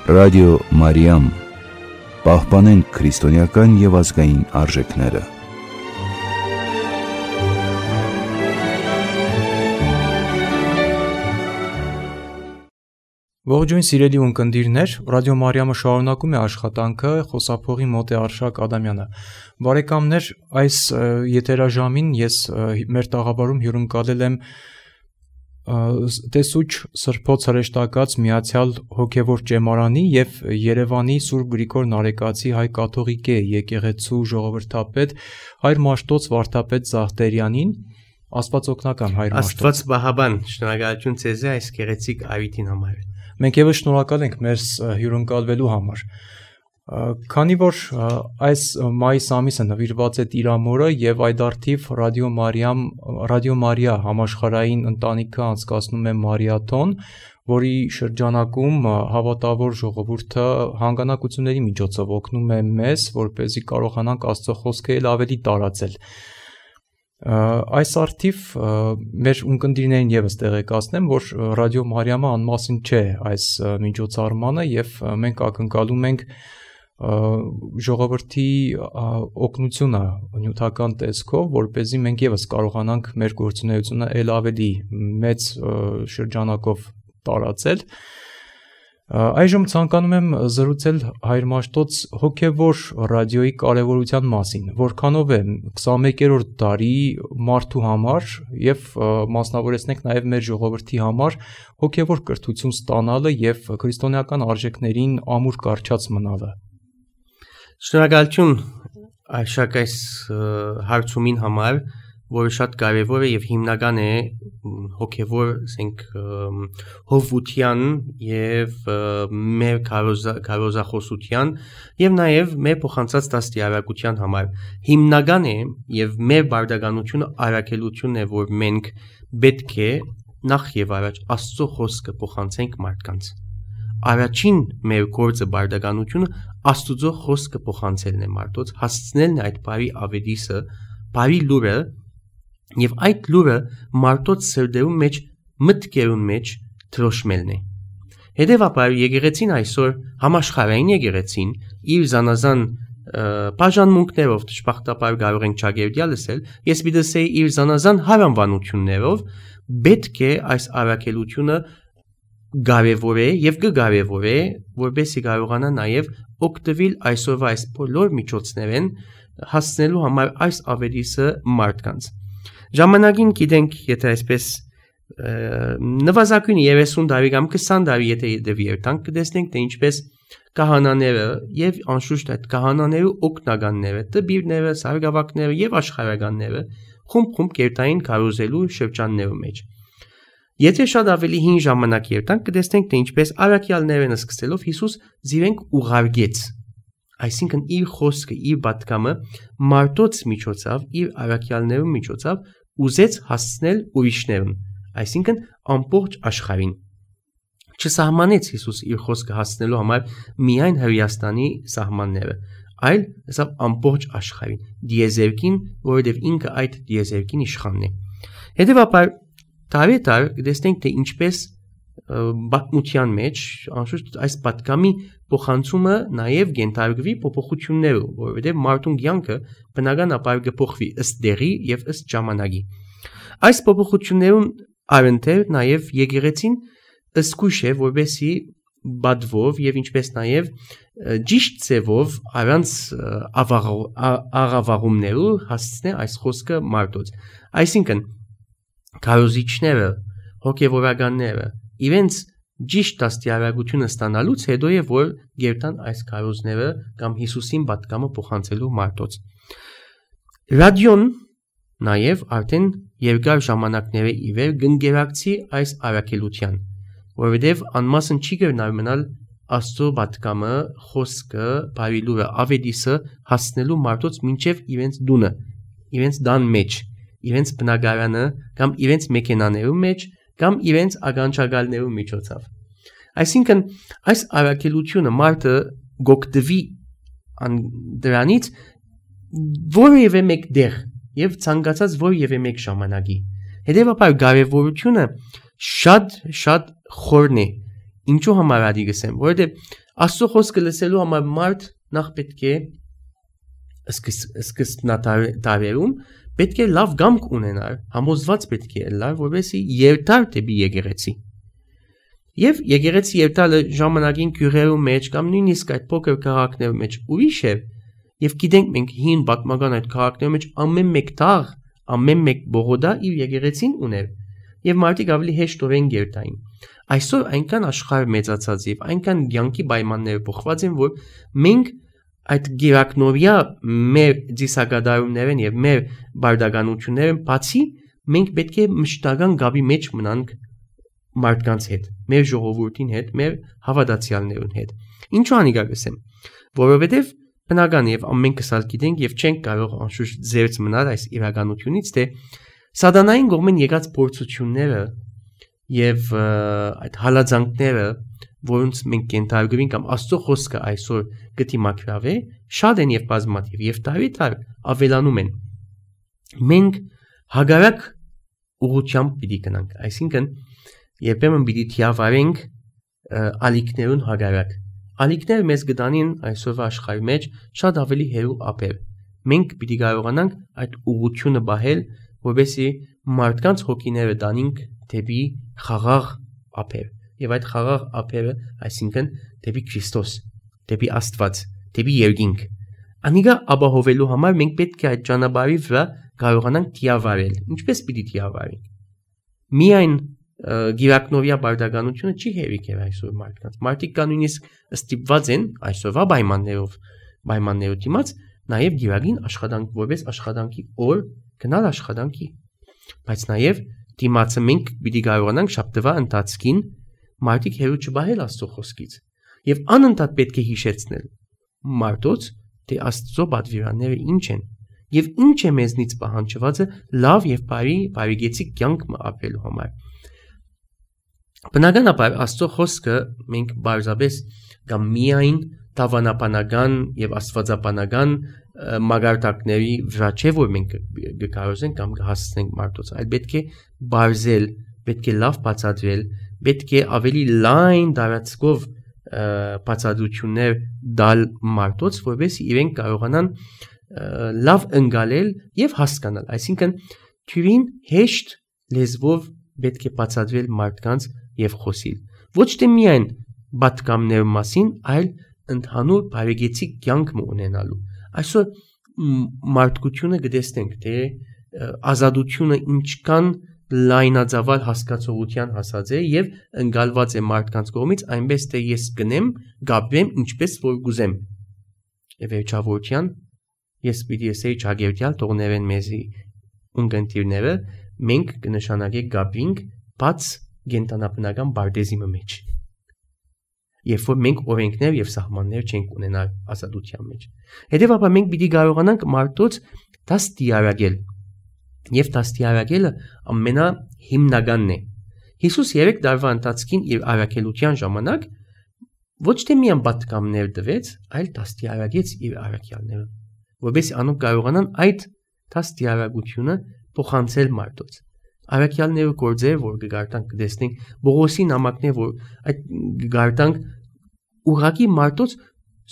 Ռադիո Մարիամ, պահպանենք քրիստոնեական և ազգային արժեքները։ Ողջույն սիրելի ունկնդիրներ, Ռադիո Մարիամը շարունակում է աշխատանքը, խոսափողի մոտ է Արշակ Ադամյանը։ Բարեկամներ, այս եթերաժամին ես մեր տաղավարում հյուրընկալել եմ տեսուչ Սրբոց հրեշտակած Միացյալ Հոգևոր Ճեմարանի և Երևանի Սուրբ Գրիգոր Նարեկացի հայ կաթողիկե եկեղեցու ժողովրդապետ Հայր Մաշտոց Վարդապետ Զախտերյանին, Աստված օգնական Հայր Մաշտոց։ Աստված բահաբան, շնորհակալություն ձեզ այս գեղեցիկ այրին համար։ Մենք ևս շնորհակալ ենք մեր հյուրընկալվելու համար։ Քանի որ այս մայիս ամիսը նվիրված է Տիրամորը եւ այդ արդիվ Ռադիո Մարիա համաշխարհային ընտանիքը անցկացնում է մարիաթոն, որի շրջանակում հավատավոր ժողովուրդը հանգանակությունների միջոցով օգնում է մեզ, որպեսզի կարողանանք Աստծո խոսքը ել ավելի տարածել։ Այս արդիվ մեր ունկնդիրներին ևս տեղեկացնեմ, որ Ռադիո Մարիամը անմասն չէ այս միջոցառմանը եւ մենք ակնկալում ենք ժողովրդի օգնությունը նյութական տեսքով, որպեսզի մենք ևս կարողանանք մեր գործունեությունը ել ավելի մեծ շրջանակով տարածել։ Այժմ ցանկանում եմ զրուցել Հայր Մաշտոց հոգևոր ռադիոյի կարևորության մասին, որքանով է 21-րդ դարի մարդու համար եւ մասնավորեցնենք նաեւ մեր ժողովրդի համար հոգևոր կրթություն ստանալը եւ քրիստոնեական արժեքներին ամուր կարճած մնալը։ Շնորհակալություն Արշակ այս հարցումին համար, որը շատ կարևոր է եւ հիմնական է հոգևոր, ասենք, հովության եւ մեր քարոզախոսության եւ նաեւ մեր փոխանցած դաստիարակության համար։ Հիմնական է եւ մեր բարդականությունը արաքելությունն է, որ մենք պետք է նախ եւ առաջ Աստծո խոսքը փոխանցենք մարդկանց։ Առաջին մեր գործը բարդականությունը Աստծո խոսքը փոխանցելն է մարդոց, հասցնելն այդ բարի ավետիսը, բարի լուրը եւ այդ լուրը մարդոց սրտերում մեջ մտքերուն մեջ թրոշմելն է։ Հետևաբար եկեղեցին այսօր համաշխարհային եկեղեցին իր զանազան բաժանմունքներով դժբախտաբար կարող ենք ճագերդյալ լսել, ես պիտի ասեի իր զանազան հարանվանություններով պետք է այս առաքելությունը կարևոր է եւ կկարևոր է, որպեսզի կարողանա նաեւ օգտվել այսօրվա այս բոլոր միջոցներեն հասնելու համար այս ավետիսը մարդկանց։ Ժամանակին գիտենք, եթե այսպես նվազագույնի 30 տարի կամ 20 տարի եթե դեպիերտանք կտեսնենք, թե ինչպես կահանաները եւ անշուշտ այդ կահանաների օգնականները, տբիրները, սարգսակները եւ աշխարհականները խումբ կերտային կարոզելու շրջաններում մեջ։ Եթե շատ ավելի հին ժամանակ երտանք կտեսնենք, թե ինչպես առաքյալներն սկսելով Հիսուս զիրենք ուղարկեց, այսինքն իր խոսքը, իր պատգամը մարդոց միջոցով, իր առաքյալներու միջոցով ուզեց հասցնել ուրիշներուն, այսինքն ամբողջ աշխարհին։ Չսահմանեց Հիսուս իր խոսքը հասցնելու համար միայն Հրեաստանի սահմանները, այլ ասավ ամբողջ աշխարհին, դիեզերքին, որովհետև ինքը այդ դիեզերքին իշխանն է։ Հետևաբար տարի կտեսնենք, թե ինչպես բացմության մեջ անշուշտ այս պատգամի փոխանցումը նաև գենթարկվի փոփոխություններով, որովհետև մարդուն կյանքը բնականաբար կփոխվի ըստ դերի եւ ըստ ժամանակի։ Այս փոփոխություններուն առընթեր նաև եկեղեցին ըսկույշ է, որովհետեւ բադվով եւ ինչպես նաև ճիշտ ձևով առանց աղավաղումներով հասցնե այս խոսքը մարդոց։ Այսինքն քարոզիչները, հոգևորականները իրենց ճիշտ դաստիարակությունը ստանալուց հետո է, որ գերտան այս քարոզները կամ Հիսուսին պատգամը փոխանցելու մարդոց։ Ռադիոն նաև արդեն երկար ժամանակների ի վեր գնկերակցի այս առաքելության, որովհետև անմասն չի կրնար մնալ Աստծո պատգամը, խոսքը, բարի լուրը, ավետիսը հասնելու մարդոց մինչև իրենց դունը, իրենց դան մեջ, իրենց բնակարանը կամ իրենց մեքենաներու մեջ կամ իրենց ականջակալներու միջոցով։ Այսինքն այս առաքելությունը մարդը գոկտվի դրանից որևէ մեկ դեղ եւ ցանկացած որևէ մեկ ժամանակի։ Հետևաբար կարևորությունը շատ խորն է Ինչու համար ադի գսեմ, որովհետև Աստծո խոսքը լսելու համար մարդ նախ պետք է սկզբնատարերում պետք է լավ գամք ունենալ, համոզված պետք է լար, որովհետեւ երթար դեպի եկեղեցի։ Եվ եկեղեցի երթալը ժամանակին քյուրերու մեջ կամ նույնիսկ այդ փոքր քաղաքներու մեջ ուրիշ է, եւ գիտենք մենք հին պատմական այդ քաղաքներու մեջ ամեն մեկ տաղ, ամեն մեկ բողոդա իր եկեղեցին ուներ, եւ մարդիկ ավելի հեշտորեն երթային։ Այսօր այնքան աշխարհ մեծացած եւ այնքան ցանկի պայմանները փոխված են, որ մենք այդ գերակնորյա մեր դիսագադարումներն եւ մեր բարդականություններն բացի մենք պետք է մշտական գաբի մեջ մնանք մարդկանց հետ, մեր ժողովրդին հետ, մեր հավատացյալներուն հետ։ Ինչու անիկա գսեմ, որովհետեւ բնական եւ ամենքս ալ գիտենք եւ չենք կարող անշուշտ զերծ մնալ այս իրականությունից, թե սատանային կողմեն եկած փորձությունները եւ այդ հալածանքները, որոնց մենք կենթարկվին կամ Աստծո խոսքը այսօր գտի մակրավե, շատ են եւ բազմաթիվ եւ տարի ավելանում են։ Մենք հագարակ ուղղությամբ պիտի գնանք, այսինքն երբեմն պիտի թիավարենք ալիքներուն հագարակ։ Ալիքները մեզ գտանին այսօրվա աշխարհի մեջ շատ ավելի հերու ապեր։ Մենք պիտի կարողանանք այդ ուղղությունը բահել, որովհետեւ մարդկանց հոգիները դանինք դեպի խաղաղ ապեր։ Եվ այդ խաղաղ ապերը, այսինքն դեպի Քրիստոս, դեպի Աստված, դեպի երկինք։ Անիկա ապահովելու համար մենք պետք է այդ ճանապարհի վրա կարողանանք թիավարել։ Ինչպես պիտի թիավարենք։ Միայն գիրակնովյա բարդականությունը չի հերիք է այսօր մարդկանց։ Մարդիկ կան նույնիսկ ստիպված են այսօրվա պայմաններով դիմաց նաև գիրագին աշխատանք, որպես աշխատանքի օր գնալ աշխատանքի։ Բայց նաև դիմացը մենք պիտի կարողանանք շաբթվա ընթացքին մարդիկ հերու չբահել Աստծո խոսքից եւ անընդհատ պետք է հիշեցնել մարդոց թե Աստծո պատվիրանները ինչ են եւ ինչ է մեզնից պահանջվածը լավ եւ բարիգեցիկ կյանք ապրելու համար։ Բնականաբար Աստծո խոսքը մենք բարձրապես կամ միայն դավանապանական եւ աստվածապանական մագարտակների վրա չէ որ մենք կկարողանանք կամ կհասցնենք մարդոց, այլ պետք է բարձել, պետք է լավ բացատրել, պետք է ավելի լայն դարածքով բացատրություններ դալ մարդոց, որովհետեւ իրենք կարողանան լավ ընկալել եւ հասկանալ։ Այսինքն թյուրին հեշտ լեզվով պետք է բացատրել մարդկանց եւ խոսիլ։ Ոչ թե միայն պատկամների մասին, այլ ընդհանուր բարեգեցիկ կյանք ունենալու։ Այսօր մարդկությունը գտեսնենք, թե ազատությունը ինչքան լայնածավալ հասկացողության հասած է եւ ընկալված է մարդկանց կողմից, այնպես թե ես գնեմ, գաբվեմ ինչպես որ գուզեմ։ Եվ վերջավորության ես պիտի ասեի ճագերտյալ թողնեն մեզի ունգընտիրները, մենք կնշանակենք գաբինք բաց գենտանաբնական բարդեզիմը մեջ։ Երբ որ մենք օրենքներ եւ սահմաններ չենք ունենալ ազատության մեջ։ Հետեւաբար մենք պիտի կարողանանք մարդոց դաստիարակել։ Եվ դաստիարակելը ամենահիմնականն է։ Հիսուս 3 տարվա ընթացքին իր առաքելության ժամանակ ոչ թե միայն պատկամներ տվեց, այլ դաստիարակեց իր առաքյալները, որովհետեւ անոնք կարողանան այդ դաստիարակությունը փոխանցել մարդոց։ Առաքյալները գործեր, որ կգարտանք կտեսնենք, Բողոսի նամակներ, որ այդ կգարտանք ուղղակի մարդոց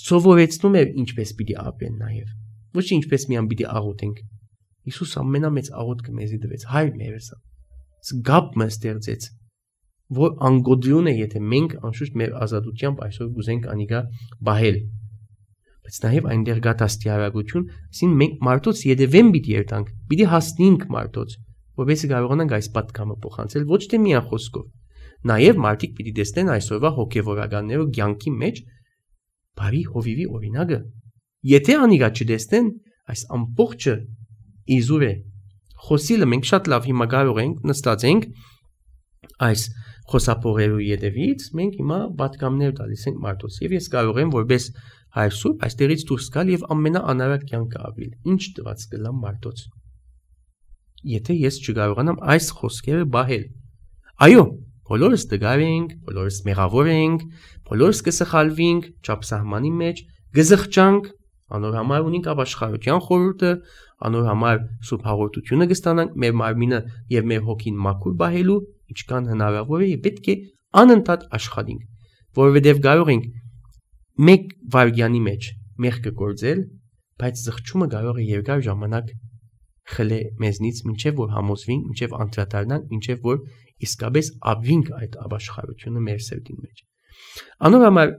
սովորեցնում էր ինչպես պիտի ապրեն նաև։ Ոչ ինչպես միայն պիտի աղոթենք։ Հիսուս ամենամեծ աղոթքը մեզի տվեց, հայր մերս։ Գապ մեզ ստեղծեց, որ անգոդրուն է, եթե մենք անշուշտ մեր ազատությամբ այսօր գուզենք անիկա բահել։ Բայց նաև այնտեղ կա դաստիարակություն, ասին մենք մարդոց յետևեն պիտի երթանք, պիտի հասնենք մարդոց, որովհետեւ կարողանանք այս պատկամը փոխանցել ոչ թե միայն խոսքով։ Նաև մարդիկ պիտի տեսնեն այսօրվա հոգեվորականներու կյանքի մեջ բարի հովիվի օրինակը։ Եթե անիկա չտեսնեն, այս ամբողջը իզուր է։ Խոսիլը մենք շատ լավ հիմա կարող ենք նստածենք այս խոսափողերու յետևից, մենք հիմա պատկամներ տալիս ենք մարդոց։ Եվ ես կարող եմ որպես հայրսուրբ այստեղից դուրս գալ եւ ամենաանարատ կյանքը ապրել։ Ինչ տված կլամ մարդոց։ Եթե ես չկարողանամ այս խոսքերը բահել։ Այո, բոլորս դգար ենք, բոլորս մեղավոր ենք, բոլորս կսխալվենք ճապսահմանի մեջ, գզղճանք, անոր համար ունենք ապաշխարության խորհուրդը, անոր համար սուրբ հաղորդությունը կստանանք մեր մարմինը եւ մեր հոգին մաքուր բահելու, ինչքան հնարավոր է, պետք է անընդհատ աշխատենք։ որովհետև կարող ենք մեկ վայրկյանի մեջ մեղքը գործել, բայց զղջումը կարող է երկար ժամանակ խլե մեզնից, մինչև որ համոզվենք, մինչև անդրադառնանք, մինչև որ իսկապես ապրենք այդ ապաշխարությունը մեր սրտին մեջ։ Անոր համար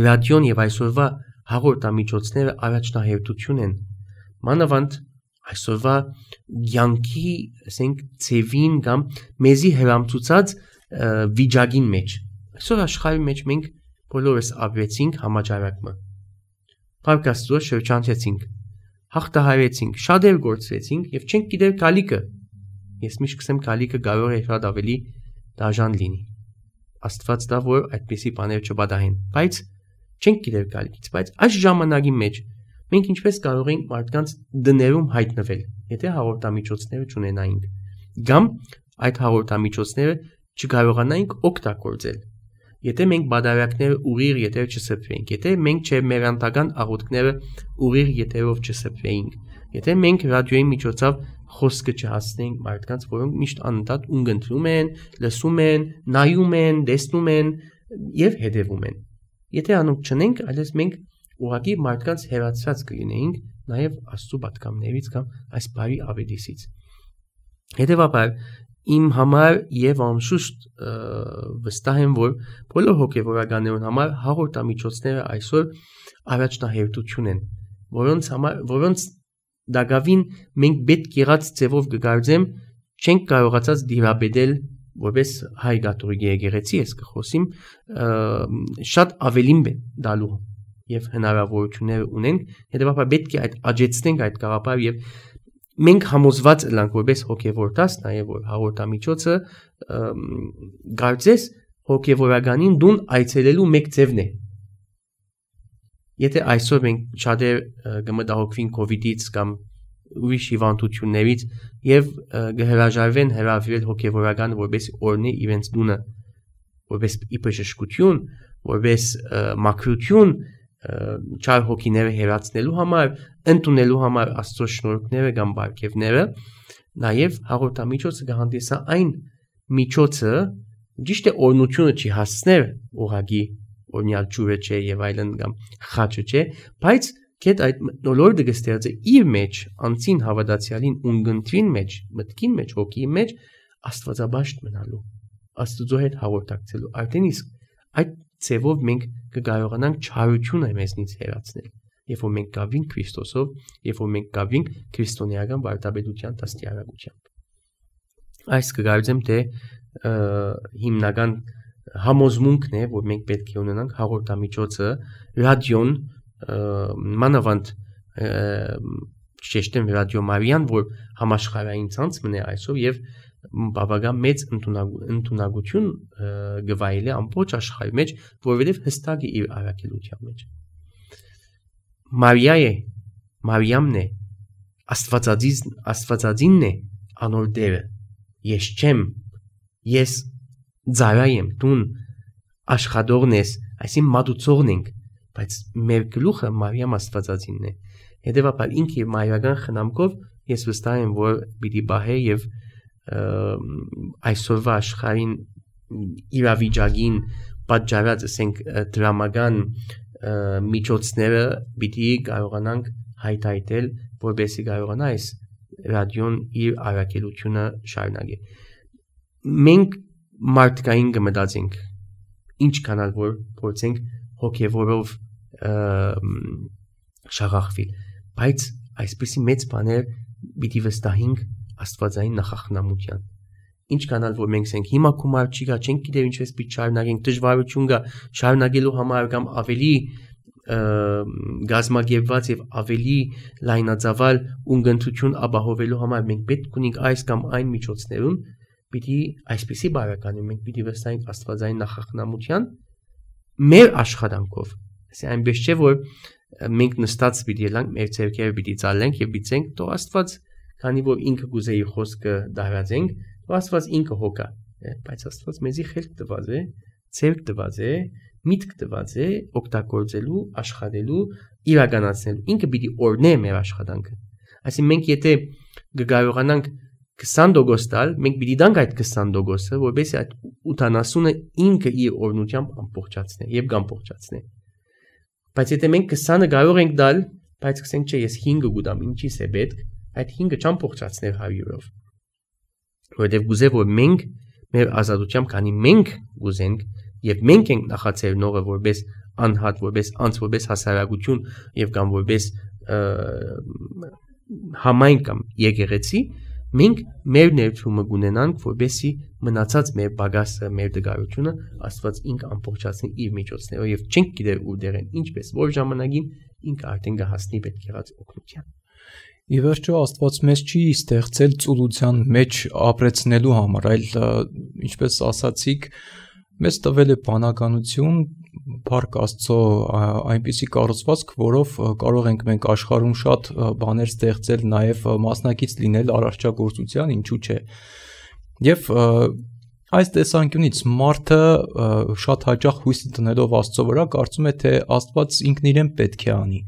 ռադիոն եւ այսօրվա հաղորդամիջոցները առաջնահերթություն են, մանավանդ այսօրվա յանքի, ասենք, ցևին կամ մեզի հրամցուցած վիճակին մեջ։ Այսօր աշխարհի մեջ մենք բոլորս ապրեցինք համաճարակը։ Փառք Աստծո, շրջանցեցինք, հաղթահարեցինք, շատեր գործվեցինք եւ չենք գիտեր գալիքը։ Ես միշտ կսեմ գալիքը կարող է շատ ավելի դաժան լինի։ Աստված դա որ այդպիսի բաներ չբադահեն, բայց չենք գիտեր գալիքից, բայց այս ժամանակի մեջ մենք ինչպես կարող ենք մարդկանց դներում հայտնվել, եթե հաղորդամիջոցները չունենայինք, կամ այդ հաղորդամիջոցները չկարողանայինք օգտագործել։ Եթե մենք բادرակները ուղիղ եթեր չսփվեինք, եթե մենք մեր անտական աղոթքները ուղիղ եթերով չսփվեինք, եթե մենք ռադիոյի միջոցով խոսքը չհասնենք մարդկանց, որոնք միշտ անընդհատ ունգընտրում են, լսում են, նայում են, տեսնում են եւ հետևում են։ Եթե անոնք չնենք, այլս մենք ուղղակի մարդկանց հերացած կլինեինք նաեւ Աստծո պատկամներից կամ այս բարի ավետիսից։ Հետևաբար իմ համար եւ անշուշտ վստահ եմ, որ բոլոր հոգեվորականներուն համար հաղորդամիջոցները այսօր առաջնահերթություն են, որոնց դակավին մենք պետք եղած ձևով կգարձեմ, չենք կարողացած դիրաբեդել, որպես հայ կաթողիկ եկեղեցի ես կխոսիմ, շատ ավելին դալու եւ հնարավորություններ ունենք, հետեւաբար պետք է այդ աճեցնենք այդ գաղափարը եւ մենք համոզված ենք որպես հոգևորտաս, նաև որ հաղորդամիջոցը գարձես հոգևորականին դուն այցելելու մեկ ձևն է։ Եթե այսօր մենք շատեր կմտահոգվին կովիդից կամ ուրիշ հիվանդություններից եւ կհրաժարվեն հրավիրել հոգևորական որպես օրնի իրենց դունը, որպես իբժշկություն, որպես մաքրություն, չար հոգիները հերացնելու համար, ընդունելու համար Աստծո շնորհքները կամ բարգեւները, նաև հաղորդամիջոցը կհանդիսա այն միջոցը, ճիշտ է օրնությունը չի հասցներ ուղագի օրնյալ ջուրը չէ եւ այլն կամ խաչը չէ, բայց կետ այդ նոլորդը կստեղծե իր մեջ անցին հավատացյալին ունգընտրին մեջ, մտքին մեջ, հոգի մեջ աստվածաբաշտ մնալու, Աստծո հետ հաղորդակցելու, արդեն իսկ այդ ցևով մենք կկարողանանք չարությունը մեզնից հեռացնել, երբ որ մենք գավենք Քրիստոսով, երբ որ մենք գավենք քրիստոնեական վարդապետության դաստիարակությամբ։ Այս կգարձեմ թե հիմնական համոզմունքն է, որ մենք պետք է ունենանք հաղորդամիջոցը, ռադիոն, մանավանդ շեշտեմ ռադիո Մարիան, որ համաշխարհային ցանց մնե այսօր եւ բավական մեծ ընդունակություն գվայել է ամբողջ աշխարհի մեջ, որովհետև հստակ է իր առաքելության մեջ։ Մարիամն է, Աստվածածինն է անոր դերը։ Ես չեմ, ես ծառայ եմ, դուն աշխատողն ես, այսին մատուցողն ենք, բայց մեր գլուխը Մարիամ Աստվածածինն է։ Հետևաբար ինքը իր մայրական խնամքով ես վստահ եմ, որ պիտի բահե եւ այսօրվա աշխարհին իրավիճակին պատճառած ասենք դրամական միջոցները պիտի կարողանանք հայտարարել, որպեսզի կարողանա այս ռադիոն իր առաքելությունը շարունակի։ Մենք մարդկային կմտածենք, ինչ կանալ որ փորձենք հոգևորով շաղախվել, բայց այսպեսի մեծ բաներ պիտի վստահենք աստվածային նախախնամության։ Ինչ կանալ որ մենք ասենք հիմա գումար չի գա, չենք գիտեր ինչպես պիտի շարունակենք, դժվարություն կա շարունակելու համար կամ ավելի գազմագերված եւ ավելի լայնածավալ ունգընտրություն ապահովելու համար մենք պետք ունենք այս կամ այն միջոցներում պիտի այսպեսի բարականի մենք պիտի վստահենք աստվածային նախախնամության մեր աշխատանքով։ Այսինքն այնպես չէ որ մենք նստած պիտի ելանք մեր ցերկերը պիտի ցալենք եւ պիտենք թող Աստված քանի որ ինքը գուզե իր խոսքը դարածենք, Աստված ինքը հոգա, բայց Աստված մեզի խելք տված է, ցերկ տված է, միտք տված է օգտագործելու, աշխատելու, իրականացնելու։ Ինքը պիտի օրնե մեր աշխատանքը։ Այսինքն մենք եթե կկարողանանք 20% տալ, մենք պիտի տանք այդ 20%-ը, որովհետեւ այդ 80-ը ինքը իր օրնությամբ ամբողջացնե եւ կամբողջացնե։ Բայց եթե մենք 20-ը կարող ենք դալ, բայց ասենք չէ, ես 5-ը գուտամ, ինչի՞ս է պետք, այդ 5-ը չամբողջացներ 100-ով։ Որովհետեւ գուզե որ մենք մեր ազատությամբ քանի մենք գուզենք եւ մենք ենք նախացել նորը որպես անհատ, որպես անց, որպես հասարակություն եւ կամ որպես համայն կամ եկեղեցի, մենք մեր ներդրումը կունենանք, որպեսզի մնացած մեր բագասը, մեր դգարությունը Աստված ինքը ամբողջացնի իր միջոցներով եւ չենք գիտեր ուր դերեն, ինչպես որ ժամանակին ինքը արդեն կհասնի պետք եղած օգնության։ Ի վերջո Աստված մեզ չի ստեղծել ծուլության մեջ ապրեցնելու համար, այլ ինչպես ասացիք, մեզ տվել է բանականություն, Փառք Աստծո այնպիսի կառուցվածք, որով կարող ենք մենք աշխարհում շատ բաներ ստեղծել, նաև մասնակից լինել արարչագործության, ինչու՞ չէ։ Եվ այս տեսանկյունից մարդը շատ հաճախ հույս տնելով Աստծո վրա կարծում է, թե Աստված ինքն իրեն պետք է անի։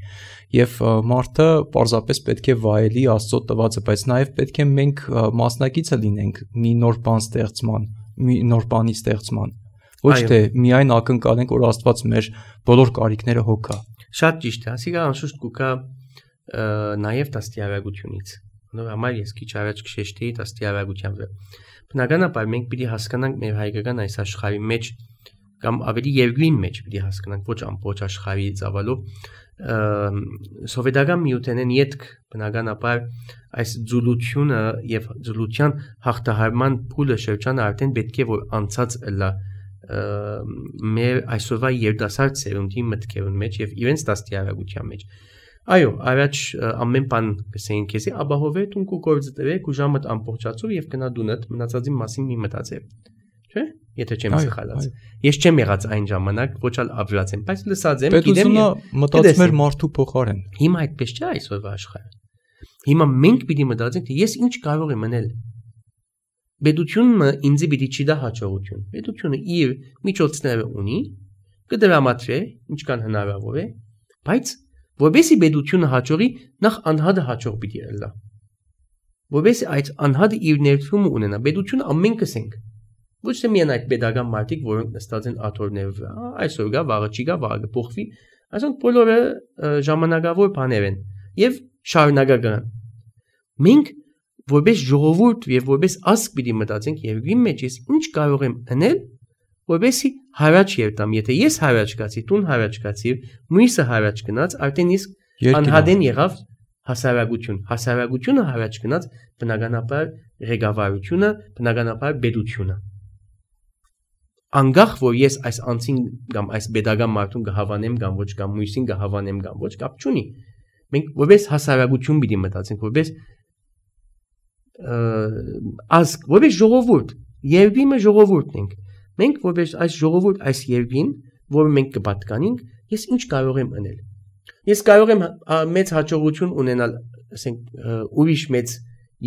Եվ մարդը պարզապես պետք է վայելի Աստծո տվածը, բայց նաև պետք է մենք մասնակիցը լինենք մի նոր բան ստեղծման, մի նոր բանի ստեղծման։ Ոչ թե միայն ակնկալենք, որ Աստված մեր բոլոր կարիքները հոգա։ Շատ ճիշտ է, ասիկա անշուշտ կուկա նաև դաստիարակությունից։ Նոր համար ես քիչ առաջ քշեշտեի դաստիարակության վրա։ Բնականաբար մենք պիտի հասկանանք մեր հայկական այս աշխարհի մեջ կամ ավելի երկրին մեջ պիտի հասկանանք ոչ ամբողջ աշխարհի ծավալով սովետական միութենեն յետք բնականաբար այս ձուլությունը եւ ձուլության հաղթահարման փուլը շրջանը արդեն պետք է որ անցած լա մեր այսօրվա երդասարդ սերունդի մտքերուն մեջ եւ իրենց դաստիարակության մեջ։ Այո, առաջ ամեն բան կսեին քեզի ապահովե դու գործը տվեք ու ժամդ ամբողջացով եւ գնա դունդ մնացածի մասին մի մտածებ։ Չէ՞։ Եթե չեմ սխալած։ Ես չեմ եղած այն ժամանակ, ոչ էլ ապրած եմ, բայց լսած եմ, գիտեմ։ Մտածում էր մարդու փոխարեն։ Հիմա այդպես չէ այսօրվա աշխարհը։ Հիմա մենք պիտի մտածենք, թե ես ինչ կարող եմ անել։ Պետությունը ինձ պիտի չի դա հաջողություն։ Պետությունը իր միջոցները ունի, կդրամատրե, ինչքան հնարավոր է, բայց որովհետեւ պետությունը հաջողի, նախ անհատը հաջող պիտի լա։ Որովհետեւ այդ անհատը իր ներդրումը ունենա, պետությունը ամենքս ենք։ Ոչ թե միայն այդ pedagogan մարդիկ, որոնք նստած են աթոռների վրա, այսօր գա, վաղը չի գա, վաղը կփոխվի, այսինքն բոլորը ժամանակավոր բաներ են եւ շարունակական։ Մենք որպես ժողովուրդ եւ որպես ազգ պիտի մտածենք երկրի մեջ ես ինչ կարող եմ անել, որպեսզի հարաճ երտամ, եթե ես հարաճ գացի, տուն հարաճ գացի, մյուսը հարաճ գնաց, արդեն իսկ անհատեն եղավ հասարակությունը հարաճ գնաց, բնականաբար ղեկավարությունը, բնականաբար պետությունը։ Անկախ որ ես այս անձին կամ այս pedagogan մարդուն կհավանեմ կամ ոչ կամ մյուսին կհավանեմ կամ ոչ, կապ չունի։ Մենք որպես հասարակություն պիտի մտածենք, որպես ազգ, որպես ժողովուրդ, երկրի մեջ ժողովուրդն ենք։ Մենք որպես այս ժողովուրդ, այս երկրին, որը մենք կպատկանենք, ես ինչ կարող եմ անել։ Ես կարող եմ մեծ հաջողություն ունենալ, ասենք, ուրիշ մեծ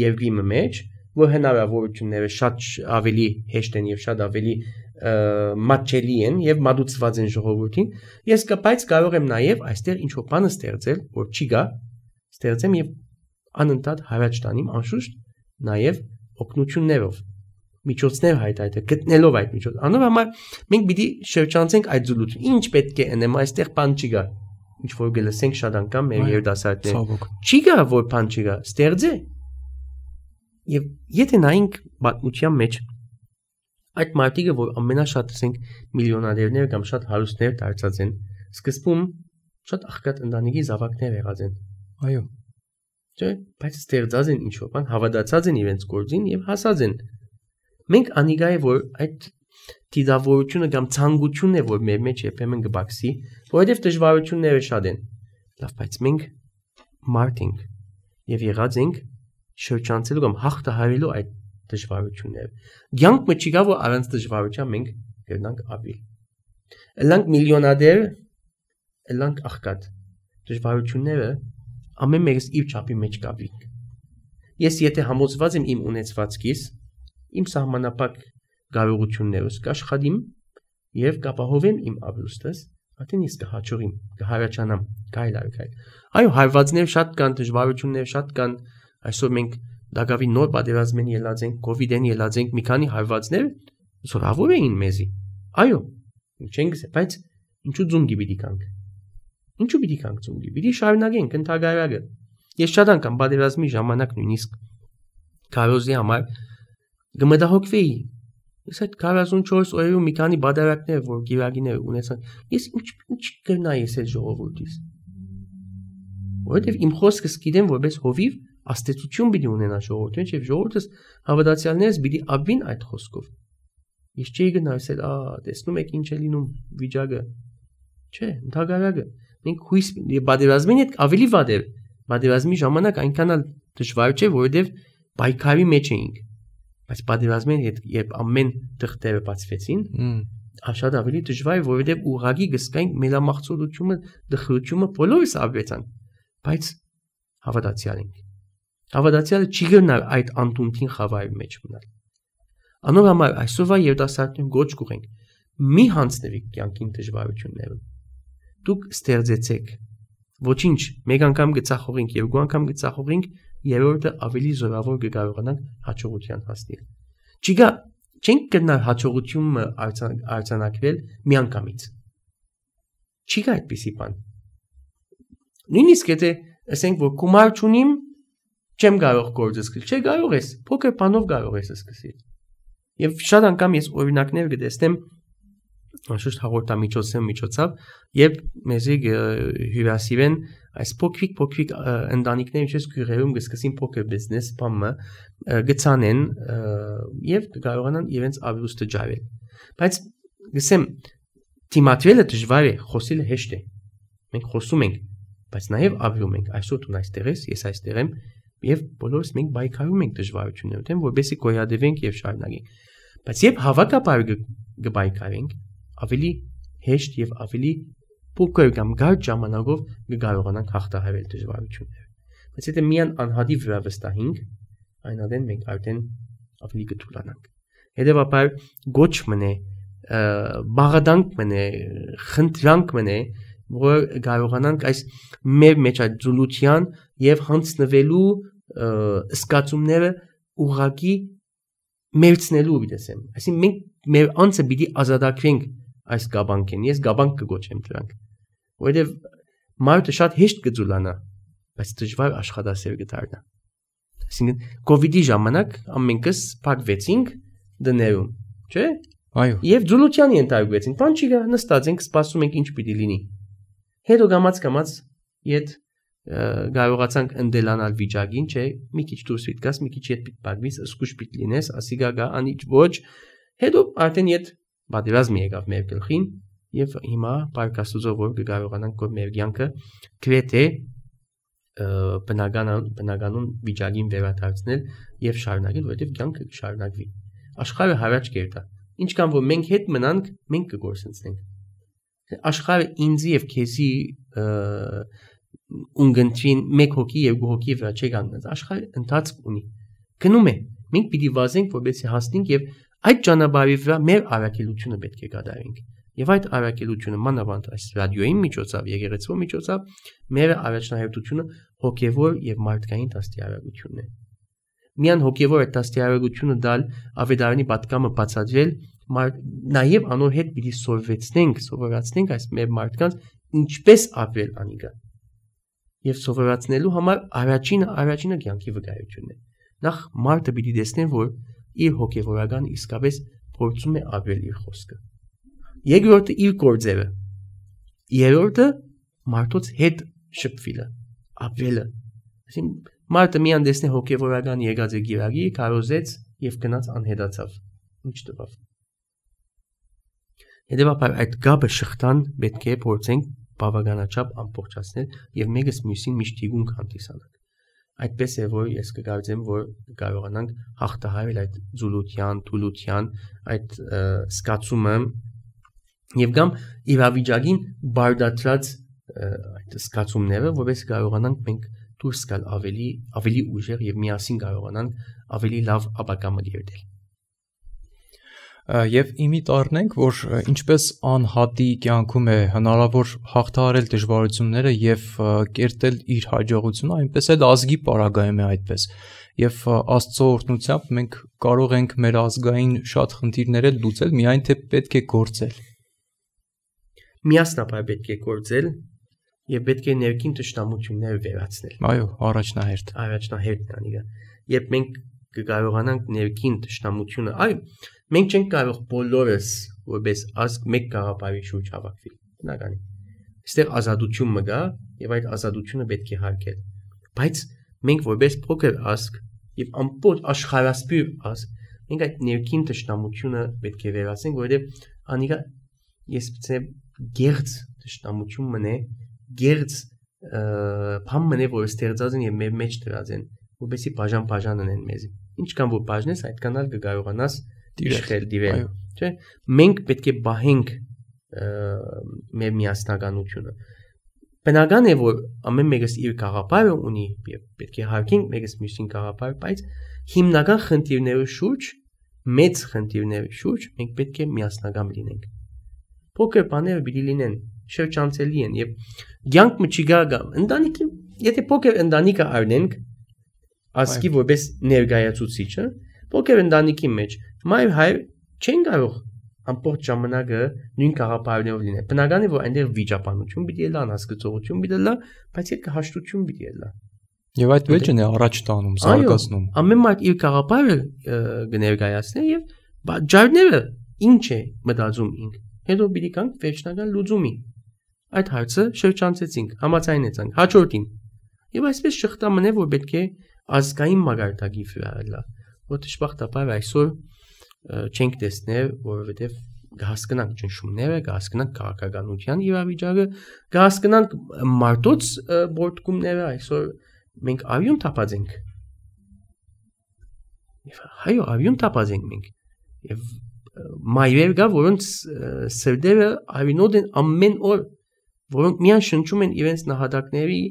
երկրի մեջ, որ հնարավորությունները շատ ավելի հեշտ են եւ շատ ավելի մատչելի են եւ մատուցված են ժողովրդին։ Ես կապայց կարող եմ նաեւ այստեղ ինչ-որ բան ստեղծել, որ չի գա, ստեղծեմ եւ անընդհատ հարաճ տանիմ անշուշտ նաեւ օգնություններով, միջոցներ հայտարարել, գտնելով այդ միջոց։ Անով համար մենք պիտի շրջանցենք այդ զուլությունը։ Ինչ պետք է անեմ, այստեղ բան չի գա։ Ինչ որ գլսենք շատ անգամ մեր երդասարտներ։ Չի գա որ բան չի գա, ստեղծե։ Եվ եթե նայենք պատմության մեջ այդ մարդիկը, որ ամենաշատ ասենք միլիոնադերներ կամ շատ հարուստներ դարձած են, սկզբում շատ աղքատ ընտանիքի զավակներ եղած են։ Այո։ Չէ, բայց ստեղծած են ինչ-որ բան, հավատացած են իրենց գործին եւ հասած են։ Մենք անիգա է որ այդ դիդավորությունը կամ ցանկությունն է որ մեր մեջ երբեմն կբացի, որովհետեւ դժվարությունները շատ են։ Լավ, բայց մենք մարդ ենք եւ եղած ենք շրջանցելու կամ հաղթահարելու այդ դժվարությունները։ Ցանկ մը չի գա որ առանց դժվարության մենք կգնանք ապրել։ Էլանք միլիոնադեր, էլանք աղքատ։ Դժվարությունները ամեն մեկս իր չափի մեջ կապիկ։ Ես եթե համոզված եմ իմ ունեցվածքից, իմ սահմանապակ կարողություններս կաշխատեմ եւ կապահովեմ իմ ապրուստս, արդեն ես կհաջողիմ, կհարաճանամ, գայլ։ Այո, հարվածներ շատ կան, դժվարություններ շատ կան։ Այսօր մենք դակավի նոր պատերազմեն ելած ենք, կոവിഡ്են ելած ենք, մի քանի հարվածներ, զորավոր էին մեզի։ Այո, չենք ասել, բայց ինչու ձունգի պիտի կանք։ Ինչու պիտի կանք ձունգի։ Պիտի շարունակենք ընդհանրակը։ Ես շատ անգամ պատերազմի ժամանակ նույնիսկ քարոզի համար գմտահոգվեի։ Ես այդ 44 օրերում մի քանի բادرակներ, որ գիրագիներ ունեցան, ես ինչ կրնայի ես այդ ժողովրդից։ Որովհետև իմ խոսքս գիտեմ, որպես հովիվ աստեցություն պիտի ունենա ժողովուրդը, եւ ժողովուրդս հավատացյալներս պիտի ապվին այդ խոսքով։ Ես չի գնա ասել, տեսնում եք ինչ է լինում վիճակը։ Չէ, ընդհանրակը մենք հույս պատերազմին հետ ավելի վատ է։ Պատերազմի ժամանակ այնքան էլ դժվար չէ, որովհետև պայքարի մեջ էինք։ Բայց պատերազմին հետ երբ ամեն թղթերը բացվեցին, շատ ավելի դժվար է, որովհետև ուղղակի գսկային մելամաղձորությունը, դխրությունը բոլորս ապրեցան։ Բայց հավատացյալ ենք։ Հավատացյալը չի գնա այդ անտունտին խավարի մեջ մնալ։ Անոր համար այսօրվա երիտասարդներին գոչ կուղենք։ Մի հանձնվեք կյանքին դժվարությունները։ Դուք ստեղծեցեք։ Ոչինչ, մեկ անգամ գծախողենք, երկու անգամ գծախողենք, երրորդը ավելի զորավոր կկարողանանք հաջողության հասնել։ Չգա, չենք գնա հաջողությունը արձանագրել մի անգամից։ Չգա այդպիսի բան։ Նույնիսկ եթե ասենք, որ գումար չունիմ, չեմ կարող գործը սկսել, չէ կարող ես, փոքր բանով կարող ես սկսել։ Եվ շատ անգամ ես օրինակներ կտեսնեմ անշուշտ հաղորդամիջոցով, երբ մեզի հյուրասիրեն այս փոքրիկ ընտանիքներ, ինչպես գյուղերում կսկսին փոքր բիզնես բամը գցանեն եւ կարողանան իրենց ապրուստը ջարել։ Բայց գսեմ դիմադրելը դժվար է, խոսելը հեշտ է։ Մենք խոսում ենք, բայց նաեւ ապրում ենք։ Այսօր դու այստեղ ես, ես այստեղ եմ եւ բոլորս մենք բայկարում ենք դժվարությունները, թե որովհետեւ գոյադևենք եւ շարունակենք։ Բայց երբ հավաքապար կբայկարենք, ավելի հեշտ եւ ավելի փոքր կամ գարջ ժամանակով կկարողանանք հաղթահարել դժվարությունները։ Բայց եթե միան անհատի վրա վստահենք, այնադեն մենք արդեն ավելի կթուլանանք։ Հետևաբար գոչ մնե, բաղադանք մնե, խնդրանք մնե, որ կարողանանք այս մեր մեջ այդ զուլության եւ հանձնվելու սկացումները ուղղակի մերցնելու դեսեմ։ Այսինքն մենք մեր անձը պիտի ազատագրենք այս գաբանքեն։ Ես գաբանք կգոչեմ դրանք։ Որովհետև մարդը շատ հեշտ կձուլանա, բայց դժվար աշխատասեր կդառնա։ Այսինքն COVID-ի ժամանակ ամենքս փակվեցինք դներում, չէ՞։ Այո։ Եվ զուլության ենթարկվեցինք։ Բան չի գա, նստած ենք, սպասում ենք ինչ պիտի լինի։ Հետո գամած իդ կարողացանք ընդելանալ վիճակին, չէ՞։ Մի քիչ դուրս պիտի գաս, մի քիչ հետ պիտի փակվիս, սկուշ պիտի լինես, ասիգա գա, անիչ ոչ։ Հետո արդեն իդ պատերազմի եկավ մեր գլխին եւ հիմա պարկասուզով որ կարողանանք որ մեր կյանքը գրեթե բնականon վիճակին վերադարձնել եւ շարունակել, որովհետեւ կյանքը կշարունակվի։ Աշխարհը հարաճ կերտա։ Ինչքան որ մենք հետ մնանք, մենք կգործընծնենք։ Աշխարհը ինձի եւ քեզի ունգընտրին մեկ հոգի եւ երկու հոգի վրա չի կանգնած։ Աշխարհը ընթացք ունի։ Գնում է։ Մենք պիտի վազենք, որպեսզի հասնենք եւ այդ ճանապարհի վրա մեր առաքելությունը պետք է կատարենք։ Եվ այդ առաքելությունը մանավանդ այս ռադիոյի միջոցով, եկեղեցու միջոցով մեր առաջնահերթությունը հոգեվոր եւ մարդկային դաստիարակությունն է։ Միան հոգեվոր այդ դաստիարակությունը դալ ավետարանի պատկամը բացատրել, նաեւ անոր հետ պիտի սովորացնենք այս մեր մարդկանց ինչպես ապրել անիգա։ Եվ սովորացնելու համար առաջինը կյանքի վկայությունն է։ Նախ մարդը պիտի տեսնեն, որ իր հոգեվորական իսկապես փորձում է ապրել իր խոսքը։ Երկրորդը իր գործերը։ Երրորդը մարդոց հետ շփվելը, ապրելը։ Այսինքն մարդը միան տեսնե հոգեվորական եկած է գիրագի, կարոզեց եւ գնաց անհետացավ։ Ինչ տվավ։ Հետևաբար այդ գաբը շղթան պետք է փորձենք բավականաչափ ամբողջացնել եւ մեկս մյուսին միշտ իգուն հանդիսանալ։ Այդպես է որ ես կգործեմ որ կարողանանք հաղթահարել այդ զուլության, թուլության, այդ սկացումը եւ կամ իրավիճակին բարդացած այդ սկացումները, որպես կարողանանք մենք դուրս գալ ավելի ուժեղ եւ միասին կարողանանք ավելի լավ ապագա մտերել։ Եվ իմիտ առնենք, որ ինչպես անհատի կյանքում է հնարավոր հաղթահարել դժվարությունները եւ կերտել իր հաջողությունը, այնպես էլ ազգի պարագայում է այդպես։ եւ Աստծո օրհնությամբ մենք կարող ենք մեր ազգային շատ խնդիրներ լուծել, միայն թե պետք է գործել։ Միասնապար պետք է գործել եւ պետք է ներքին ճշտամությունները վերացնել։ Այո, առաջնահերթ։ Առաջնահերթն անիգա։ Երբ մենք կկարողանանք ներքին ճշտամությունը, մենք չենք կարող բոլորս որպես ազգ մեկ գաղափարի շուրջ հավաքվել։ Բնական է։ Այստեղ ազատություն մգա եւ այդ ազատությունը պետք է հարգել։ Բայց մենք որպես փոքր ազգ եւ ամբողջ աշխարհասփյուր ազգ, մենք այդ ներքին ճշտամությունը պետք է վերացնենք, որովհետեւ անիգա ես ցե գերց ճշտամություն մնե, գերց բան մնե, որ ստեղծած են եւ մեր մեջ դրած են, որովհետեւ բաժան են մեզ։ Ինչքան որ բաժնես, այդքան էլ կկարողանաս դիրել, չէ՞։ Մենք պետք է բահենք մեր միասնականությունը։ Բնական է, որ ամեն մեկս իր գաղափարը ունի եւ պետք է հարգենք մեկս մյուսին գաղափարը, բայց հիմնական խնդիրների շուրջ, մեծ խնդիրների շուրջ մենք պետք է միասնական լինենք։ Փոքր բաները պիտի լինեն, շրջանցելի են եւ ցանկը չի գա ընտանիքի, եթե փոքր ընտանիքը առնենք ասկի որպես ներկայացուցիչը, փոքր ընտանիքի մեջ մայր հայր չեն կարող ամբողջ ժամանակը նույն գաղափարներով լինել։ Բնական է, որ այնտեղ վիճապանություն պիտի լա, անհասկացողություն պիտի լա, բայց այդ հաշտություն պիտի լա։ Եվ այդ վեճն է առաջ տանում, զարգացնում։ Ամեն մարդ իր գաղափարը կներկայացնի եւ ջարները ինչ է մտածում ինք։ Հետո պիտի կանք վերջնական լուծումի։ Այդ հարցը շրջանցեցինք, համաձայնեցանք, հաջորդին։ Եվ այսպես շղթա մնե, որ պետք է ազգային մագարտակի վրա լա, որ դժբախտաբար այսօր չենք տեսնել, որովհետև կհասկանանք ճնշումները, կհասկանանք քաղաքականության իրավիճակը, կհասկանանք մարդոց բորտկումները, այսօր մենք արյուն թափած ենք։ Հայո արյուն թափած ենք մենք։ Եվ մայրեր կա, որոնց սրտերը արյունոտ են ամեն օր, որոնք միայն շնչում են իրենց նահատակների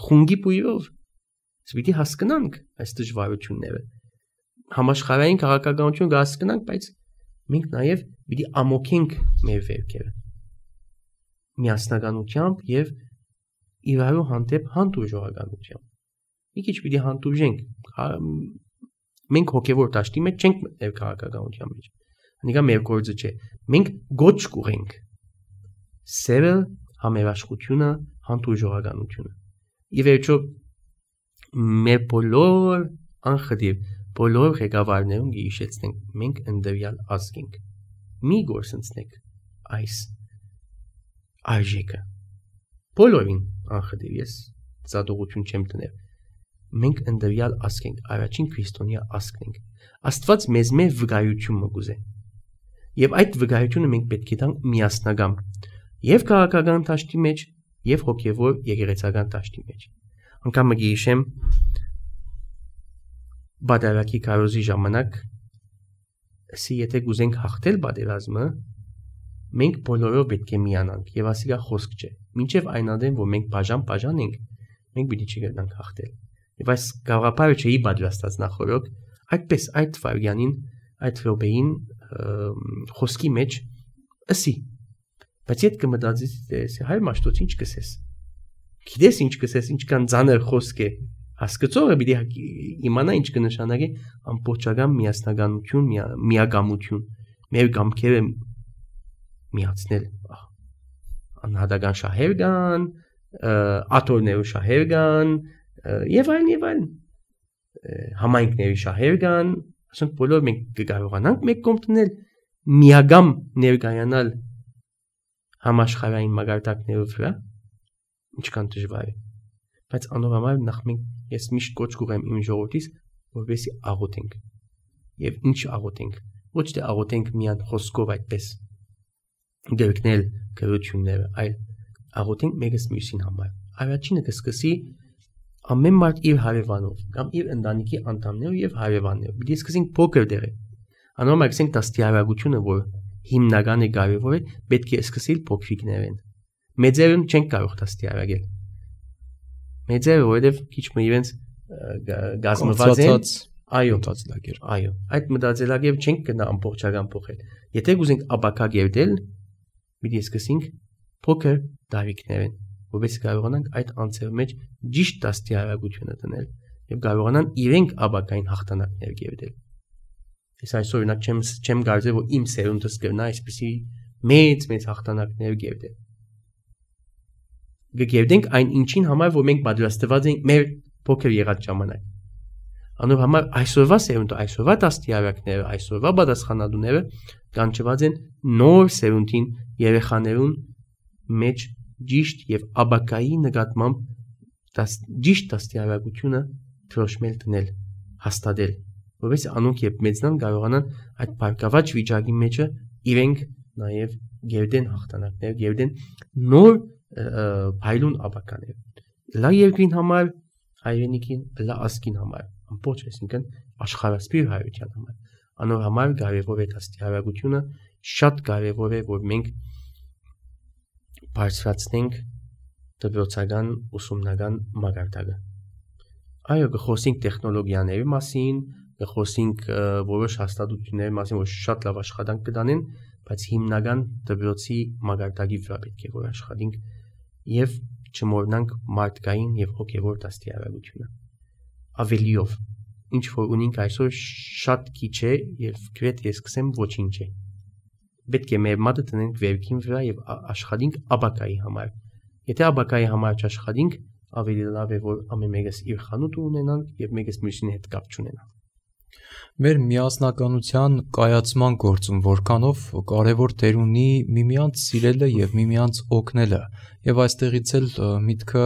խունգի բույրով։ Պիտի հասկանանք այս դժվարությունները։ Համաշխարհային քաղաքականություն կհասկանանք, բայց մենք նաև պիտի ամոքենք մեր վերքերը միասնականությամբ եւ իրարու հանդեպ հանդուրժողականությամբ։ Մի քիչ պիտի հանդուրժենք։ Մենք հոգեվոր դաշտի մեջ չենք մտնել քաղաքականության մեջ։ Անիկա մեր գործը չէ։ Մենք գոչ կուղենք սերը, համերաշխությունը, հանդուրժողականությունը։ Եվ վերջո մեր բոլոր անխտիր բոլոր ղեկավարներուն գիշեցնենք, մենք ընդդրյալ ազգ ենք։ Մի գործընծնեք այս արժեքը։ Բոլորին անխտիր ես ծադողություն չեմ տնել։ Մենք ընդդրյալ ազգ ենք, առաջին քրիստոնյա ազգն ենք։ Աստված մեզ մեր վկայություն մգուզե։ Եվ այդ վկայությունը մենք պետք է տանք միասնական եւ քաղաքական դաշտի մեջ, եւ հոգեվոր եկեղեցական դաշտի մեջ։ Անկամ գիշեմ բادرակի կարոզի ժամանակ ասի եթե գուզենք հաղթել բادرազմը մենք բոլորով պետք է միանանք եւ ասիգա խոսք չէ մինչեւ այն ադեն որ մենք բաժան ենք մենք պիտի չգտնանք հաղթել եւ այս գաղափարը չէի պատրաստած նախորդ այդպես այդ վարյանին այդ ռոբեին խոսքի մեջ ասի բայց եթե կմտածես հայ մաշտոց ինչ կսես գիտես ինչ կսես ինչքան ծանր խոսք է հասկացողը պիտի իմանա ինչ կնշանակի ամբողջական միասնականություն, միագամություն, մեր գամքերը միացնել, անհատական շահեր կան, աթոռների շահեր կան, եւ այլն, համայնքների շահեր կան, ասենք բոլոր մենք կկարողանանք մեկ կողմ տնել, միագամ ներկայանալ համաշխարհային մագարտակներով վրա, ինչքան դժվար է։ Բայց անորոշ նախ մենք ես միշտ կոչ կուղեմ իմ ժողովրդից որովհետեւ աղոթենք եւ ինչ աղոթենք ոչ թե աղոթենք միան խոսքով այդպես դերքնել քրությունները այլ աղոթենք մեկս մյուսին համար առաջինը կսկսի ամեն մարդ իր հարևանով կամ իր ընտանիքի անդամներով եւ հարևաններով պիտի սկսենք փոքր դերը անորոշ ասենք դաստիարակությունը որ հիմնական է կարևոր է պետք է սկսել փոքրիկներեն մեծերն չեն կարող դաստիարակել մեծերը որովհետև քիչ մը իրենց գազմված են այո այդ մտածելակերպ չենք գնա ամբողջական փոխել եթե գուզենք ապակա գերդել պիտի սկսենք փոքր դարիքներեն որովհետև կարողանանք այդ անձերի մեջ ճիշտ դաստիարակությունը տնել եւ կարողանան իրենք աբակային հաղթանակներ գերդել։ Ես այսօր օրինակ չեմ կարծել, որ իմ սերունդս կգնա այսպիսի մեծ հաղթանակներ գերդել։ Գերդենք այն ինչին համար, որ մենք պատրաստված ենք մեր փոքր եղած ժամանակ։ Անոր համար այսօրվա սերունդը, այսօրվա դաստիարակները, այսօրվա պատասխանատուները կանչված են նոր սերունդին երեխաներուն մեջ ճիշտ եւ աբակայի նկատմամբ ճիշտ դաստիարակությունը թրոշմել դնել, հաստատել, որովհետեւ անոնք երբ մեծնան կարողանան այդ բարգավաճ վիճակի մեջը իրենք նաեւ գերդեն հաղթանակներ, գերդեն նոր փայլուն աբականեր։ Լա երկրին համար, հայրենիքին, լա ազգին համար, ամբողջ այսինքն աշխարհասփի հայրության համար։ Անոր համար կարևոր է դաստիարակությունը, շատ կարևոր է, որ մենք բարձրացնենք դպրոցական ուսումնական մակարդակը։ Այո, կխոսենք տեխնոլոգիաների մասին, կխոսենք որոշ հաստատությունների մասին, որ շատ լավ աշխատանք կդանեն, բայց հիմնական դպրոցի մակարդակի վրա պետք է որ աշխատենք եւ չմոռանանք մարդկային եւ հոգեվոր դաստիարակությունը։ Ավելիով, ինչ որ ունենք այսօր շատ քիչ է եւ գրեթե ես կսեմ ոչինչ է։ Պետք է մեր մատը տնենք վերքին վրա եւ աշխատենք աբակայի համար։ Եթե աբակայի համար չաշխատենք, ավելի լավ է որ ամեն մեկս իր խանութը ունենանք եւ մեկս մյուսին հետ կապ չունենանք։ Մեր միասնականության կայացման գործում որքանով կարևոր դեր ունի միմյանց սիրելը եւ միմյանց օգնելը եւ այստեղից էլ միտքը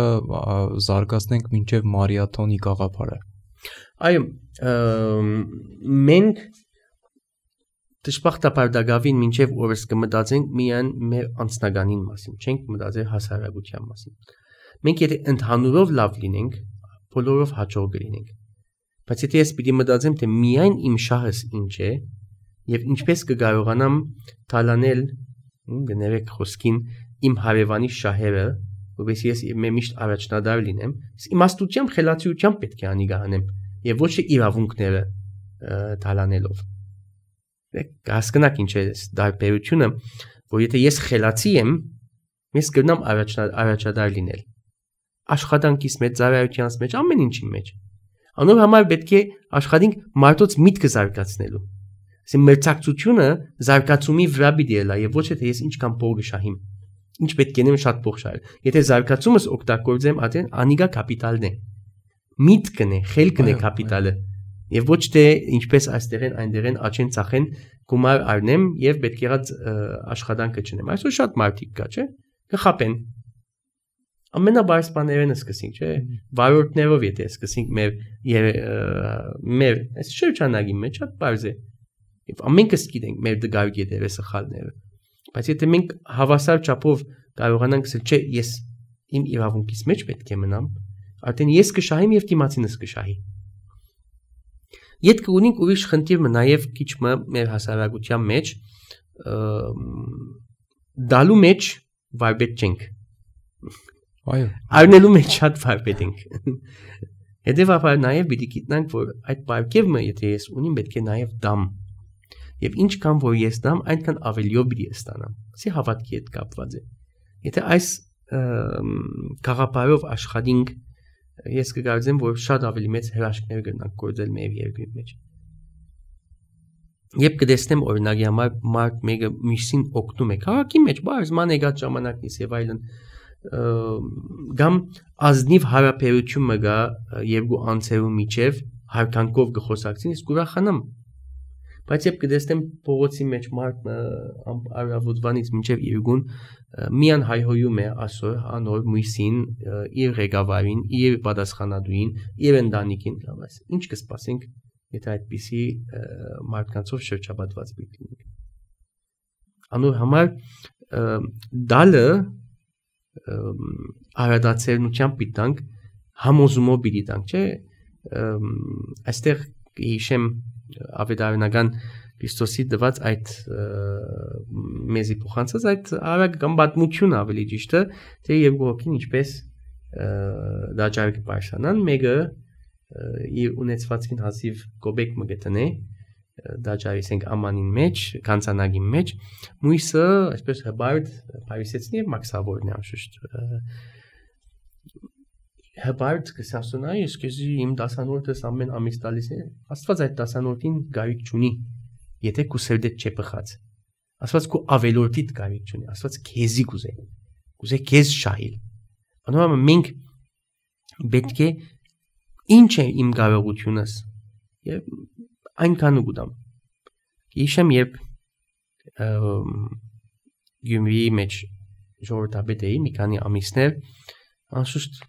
զարգացնենք մինչեւ մարիաթոնի գաղափարը։ Այո, մենք դժբախտաբար դակավին մինչև օրս կմտածենք միայն մեր անձնականին մասին, չենք մտածել հասարակության մասին։ Մենք եթե ընդհանուրով լավ լինենք, բոլորով հաջող կլինենք։ Բայց եթե ես պիտի մտածեմ, թե միայն իմ շահս ինչ է եւ ինչպես կկարողանամ թալանել, գներեք խոսքին, իմ հարևանի շահերը, որովհետեւ ես միշտ առաջնադար լինեմ, իմաստությամբ, խելացիությամբ պետք է անի գանեմ եւ ոչ թե իրավունքները թալանելով։ Հասկանաք ինչ է դարբերությունը, որ եթե ես խելացի եմ, ես կգնամ առաջադար լինել։ Աշխատանքից մեջ, ծառայությանց մեջ, ամեն ինչի մեջ։ Անոր համար պետք է աշխատենք մարդոց միտքը զարգացնելու։ Ասեմ մերձակցությունը զարգացումի վրա պիտի լա եւ ոչ թե ես ինչքան փող կշահիմ։ Ինչ պետք է նեմ շատ փող շահել։ Եթե զարգացումս օգտագործեմ, արդեն անիգա կապիտալն է։ Միտքն է, խելքն է կապիտալը։ Եվ ոչ թե ինչպես այստեղ են այնտեղ են աչեն ծախեն գումար առնեմ եւ պետք եղած աշխատանքը չնեմ։ Այսօր շատ մարդիկ կա, չէ՞։ Կխապեն։ Ամենաբարձ բաներն սկսենք, չէ՞։ Վարորդներով եթե սկսենք մեր այս շրջանագի մեջ շատ բարձ է։ Եվ ամենքս գիտենք մեր դգար գետերը սխալները։ Բայց եթե մենք հավասար չափով կարողանանք ասել, չէ, ես իմ իրավունքից մեջ պետք է մնամ, արդեն ես կշահեմ եւ դիմացինս կշահի։ Յետք ունենք ուրիշ խնդիրը նաև քիչ մեր հասարակության մեջ դալու մեջ վարպետ չենք։ Այո։ Առնելու մեջ շատ վարպետ ենք։ Հետևաբար նաև պիտի գիտնանք, որ այդ բարգևը, եթե ես ունիմ, պետք է նաև դամ։ Եվ ինչքան որ ես դամ, այնքան ավելիով պիտի ստանամ։ Սի հավատքի հետ կապված է։ Եթե այս գաղափարով աշխատենք, ես կգարձեմ, որ շատ ավելի մեծ հրաշքներ կգնանք գործել մեր երկրի մեջ։ Երբ կտեսնեմ օրինակի համար մարդ մեկը մյուսին օգնում է, քաղաքի մեջ բարձ ման եկած ժամանակից եւ այլն, գամ ազնիվ հարաբերություն մը գա երկու անձերու միջև հարկանքով կխոսակցին, իսկ ուրախանամ։ Բայց երբ կտեսնեմ փողոցի մեջ մարդ առավոտվանից մինչև երկուն միան հայհոյում է ասոր անոր մույսին, իր ղեկավարին, իր պատասխանատուին, իր ընտանիքին, լավս։ Ինչ կսպասենք, եթե այդպիսի մարդկանցով շրջապատված պիտի լինենք։ Անոր համար դալը արադացերնությամբ պիտի տանք, համոզումով պիտի տանք, չէ՞։ Այստեղ հիշեմ ավետարանական Քրիստոսի դված այդ մեզի փոխանցած այդ արագ կամ պատմություն ավելի ճիշտը, թե երկու հոգին ինչպես դաջար կբարձրանան, մեկը իր ունեցվածքին հազիվ կոբեկ մը գտնե, դաջարի ասենք ամանին մեջ, կանցանագի մեջ, մույսը այսպես հբարդ փարիսեցնի եւ մաքսավորն է անշուշտ։ հբարդ կսասունայի սկզի իմ դասանորդս ամեն ամիս տալիս է, Աստված այդ դասանորդին գարիք չունի, եթե քու սերդեդ չփխած։ Աստված քու ավելորդիդ գարիք չունի, Աստված քեզի կուզե քեզ շահիլ։ Անորոշ մենք պետք է ինչ է իմ կարողությունս եւ այնքան ուգդամ։ Իշեմ երբ Գյումրիի մեջ ժողովրդապետ էի մի քանի ամիսներ, անշուշտ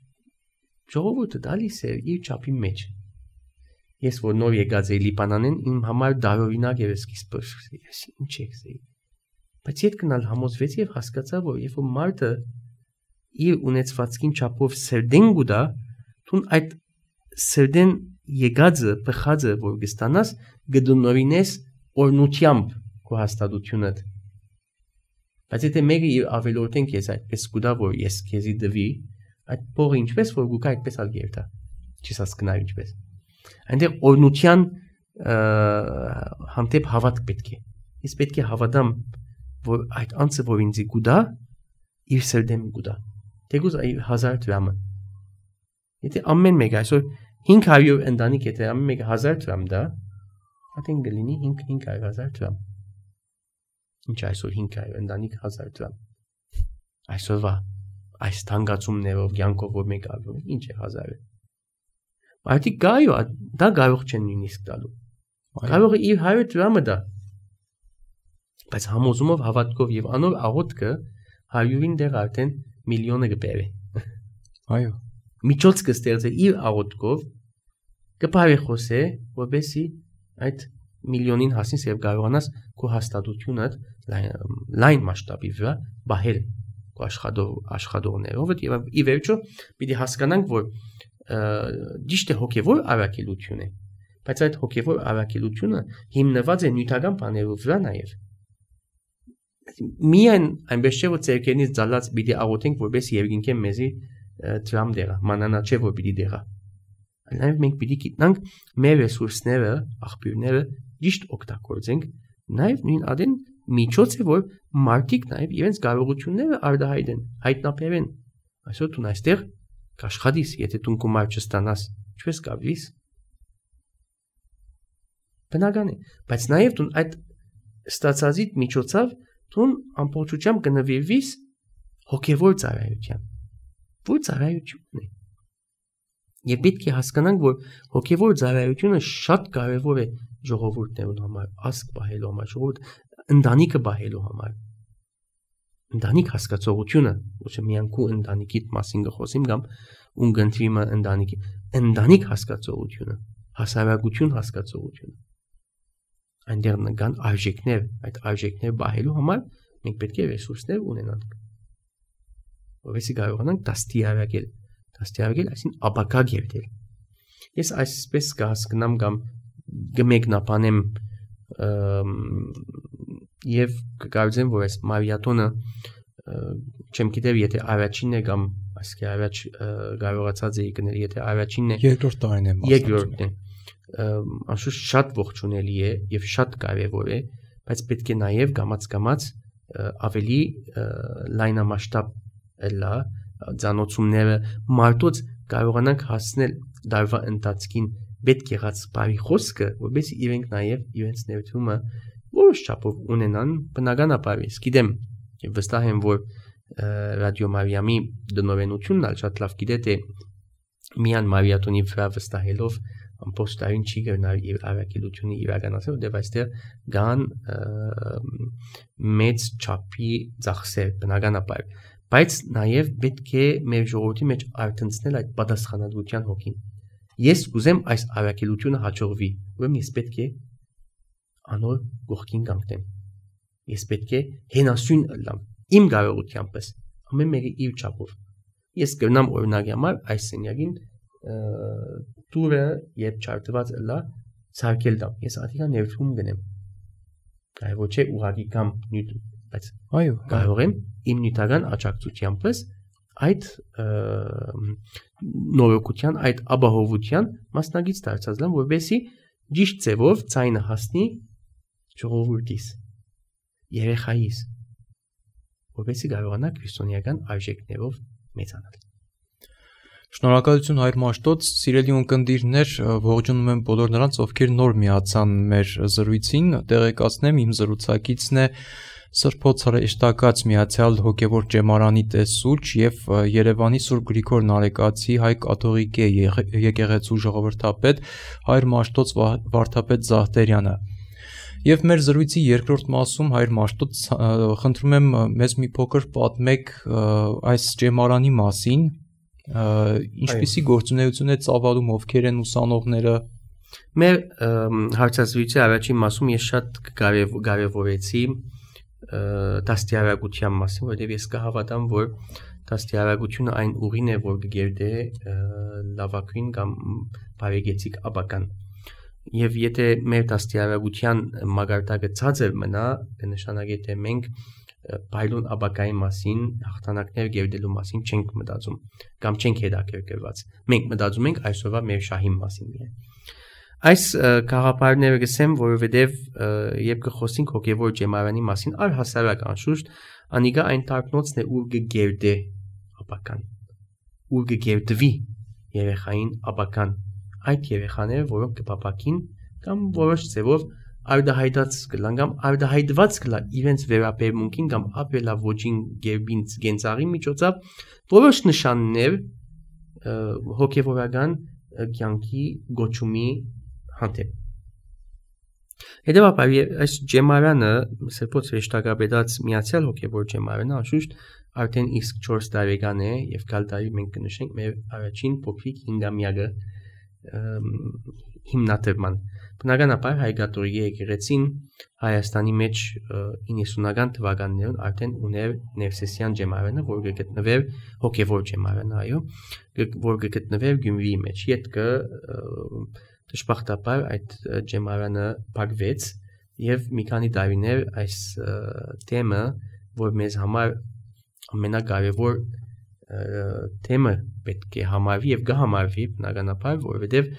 ժողովուրդը դալիս էր իր չափի մեջ։ Ես որ նոր եկած էի Լիբանանեն, իմ համար դարօրինակ էր սկիզբը, ես ինչ եկցեի։ Բայց երբ գնալ համոզվեցի եւ հասկացա, որ երբ որ մարդը իր ունեցվածքին չափով սերդեն գուտա, դու այդ սերդեն եկածը, փխածը, որ կստանաս, գդնորինես օրնությամբ քո հաստատությունդ։ Բայց եթե մեկը իր ավելորդեն քեզ այդպես գուտա, որ ես քեզի դվի, այդ փողը ինչպես որ գուկա այդպես ալ գերտա։ Չես հասկնա ինչպես։ Այնտեղ օրնության հանդեպ հավատք պետք է։ Ես պետք է հավատամ, որ այդ անձը որ ինձ գուտա, իր սերդեմ գուտա։ Թեկուզ 1000 դրամը։ Եթե ամեն մեկ այսօր 500 ընտանիք եթե ամեն մեկը 1000 դրամ դա, ատեն գլինի 500,000 դրամ։ Ինչ այսօր 500 ընտանիք 1000 դրամ։ Այսօրվա այս թանկացումներով յանքով որ մեկ արվում է, ինչ է 1000-ը։ Բայց գայո, դա կարող չեն նույնիսկ տալու։ Կարող է իր 100 դրամը դա։ Բայց համոզումով հավատքով եւ անոր աղոթքը 100-ին դեռ արդեն միլիոնը կբերե։ Այո։ Միջոց կստեղծե իր աղոթքով կբարի խոսե, որովհետեւ այդ միլիոնին հասնես եւ կարողանաս քո հաստատությունը լայն մասշտաբի վրա բահել քո աշխատողներով եւ ի վերջո պիտի հասկանանք որ ճիշտ է հոգեվոր առաքելություն է բայց այդ հոգեվոր առաքելությունը հիմնված է նյութական բաներով վրա նաեւ միայն այնպես չէ որ ցերկենից ցալած պիտի աղոթենք որպես երկինքեն մեզի դրամ դեղա մանանա չէ որ պիտի դեղա այլ մենք պիտի գիտնանք մեր ռեսուրսները աղբյուրները ճիշտ օգտագործենք նաև նույն adin միջոց է որ մարդիկ նաև իրենց կարողությունները արդահայտեն հայտնաբերեն այսօր դու այստեղ կաշխատես եթե դու գումար չստանաս ինչպես կապվիս բնական է բայց նաև դու այդ ստացածիդ միջոցով դու ամբողջությամբ կնվիրվես հոգևոր ծառայության որ ծառայությունն է Եվ պետք է հասկանանք, որ հոգևոր ծառայությունը շատ կարևոր է ժողովուրդներուն համար, ազգ բահելու համար, ժողովուրդ ընտանիքը բահելու համար։ Ընտանիք հասկացողությունը, ոչ միայն քո ընտանիքիդ մասին կխոսեմ կամ ուն գնթվիմը ընտանիքի, ընտանիք հասկացողությունը, հասարակություն հասկացողությունը։ Այնտեղ կան արժեքներ, այդ արժեքներ բահելու համար մենք պետք է ռեսուրսներ ունենանք։ Որովհետեւ կարողանանք դաստիարակել Աստիարակել, այսին ապակա գերտել։ Ես այսպես կհասկնամ կամ կմեկնաբանեմ եւ կկարծեմ, որ այս մարիաթոնը չեմ գիտեմ, եթե առաջինն է կամ այսքի առաջ կարողացած էի գնել, եթե առաջինն է, երկրորդ տարին է երկրորդն է։ Անշուշտ շատ ողջունելի է եւ շատ կարեւոր է, բայց պետք է նաեւ գամած ավելի լայնամասշտաբ լա Ձանոցումները մարդոց կարողանանք հասնել դարվա ընթացքին պետք եղած բարի խոսքը, որովհետեւ իրենք նաև իրենց ներդրումը որոշ չափով ունենան բնականաբար ես գիտեմ եւ վստահ եմ որ ռադիո Մարիամի դնորենությունն ալ շատ լավ գիտե թե միան մարիաթոնի վրա վստահելով ամբողջ տարին չի գնալ իր առաքելությունը իրականացնել դեպ այստեղ կան մեծ չափի ծախսեր բնականաբար Բայց նաև պետք է մեր ժողովրդի մեջ արտնցնել այդ պատասխանատվության հոգին։ Ես կուզեմ այս առաքելությունը հաջողվի, ուրեմն ես պետք է անոր գողքին կանգնեմ։ Ես պետք է հենասյուն ըլլամ, իմ կարողությանպես, ամեն մեկը իր չափով։ Ես կգնամ օրինակի համար այս սենյակին տուրը երբ չարտված ըլլա ցարկել դամ։ Ես ադիգա ներդրում գնեմ։ Այո ոչ է ուղղակի կամ նյութ բայց այո կարող եմ իմ նյութական աջակցությանպես այդ նորոգության այդ ապահովության մասնագից դարձած լամ որովհետեւ ճիշտ ձևով ցայնը հասնի ժողովրդիս երեխայիս որովհետեւ կարողանա քրիստոնեական արժեքներով մեծանալ Շնորհակալություն Հայր Մաշտոց, սիրելի ունկնդիրներ, ողջունում եմ բոլոր նրանց, ովքեր նոր միացան մեր զրույցին, տեղեկացնեմ իմ զրուցակիցն է Սրբոց հրեշտակած Միացյալ Հոգևոր Ճեմարանի տեսուչ եւ Երևանի Սուրբ Գրիգոր Նարեկացի Հայ կաթողիկե եկեղեցու ժողովրդապետ Հայր Մաշտոց Վարդապետ Զահտերյանը։ Եվ մեր զրույցի երկրորդ մասում Հայր Մաշտոց խնդրում եմ մեզ մի փոքր պատմեք այս ճեմարանի մասին, ինչպիսի գործունեություն է ծավալում, ովքեր են ուսանողները։ Մեր հարցազրույցի առաջին մասում ես շատ կարևորեցի դաստիարակության մասին, որտեղ ես կհավատամ, որ դաստիարակությունը այն ուղին է, որ կգերտե լավագույն կամ բարեգեցիկ ապական։ Եվ եթե մեր դաստիարակության մագարտակը ցածր մնա, կնշանակի թե մենք բայլուն ապակայի մասին, հաղթանակներ գերտելու մասին չենք մտածում կամ չենք հետաքրքրված։ Մենք մտածում ենք այսօրվա մեր շահի մասին միայն։ Այս գաղափարները գսեմ, որովհետև երբ կխոսենք հոգևոր ճեմարանի մասին, առհասարակ անշուշտ անիգա այն տարկնոցն է, ուր կգերտե ապական, ուր կգերտվի երեխային ապական, այդ երեխաները, որոնք կփապակին կամ որոշ ձևով արդահայտած կլան կամ արդահայտված կլա իրենց վերաբերմունքին կամ ապելավոճին գերբին գենցաղի միջոցով որոշ նշաններ հոգևորական կյանքի գոչումի հանդեպ։ Հետևաբար այս ջեմարանը Սրբոց հրեշտակապետած Միացյալ Հոգևոր Ջեմարանը անշուշտ արդեն իսկ 4 տարեկան է եւ գալ տարի մենք կնշենք մեր առաջին փոքրիկ 5-ամյակը հիմնադրման։ Բնականաբար Հայ կաթողիկե եկեղեցին Հայաստանի մեջ 90-ական թվականներում արդեն ուներ Ներսեսյան ջեմարանը, որ կգտնվեր հոգևոր ջեմարանը, այո, որ կգտնվեր Գյումրիի մեջ։ Յետքը դժբախտաբար այդ ջեմարանը փակվեց եւ մի քանի տարիներ այս թեմը, որ մեզ համար ամենակարևոր թեմը պետք է համարվի եւ կհամարվի բնականաբար, որովհետեւ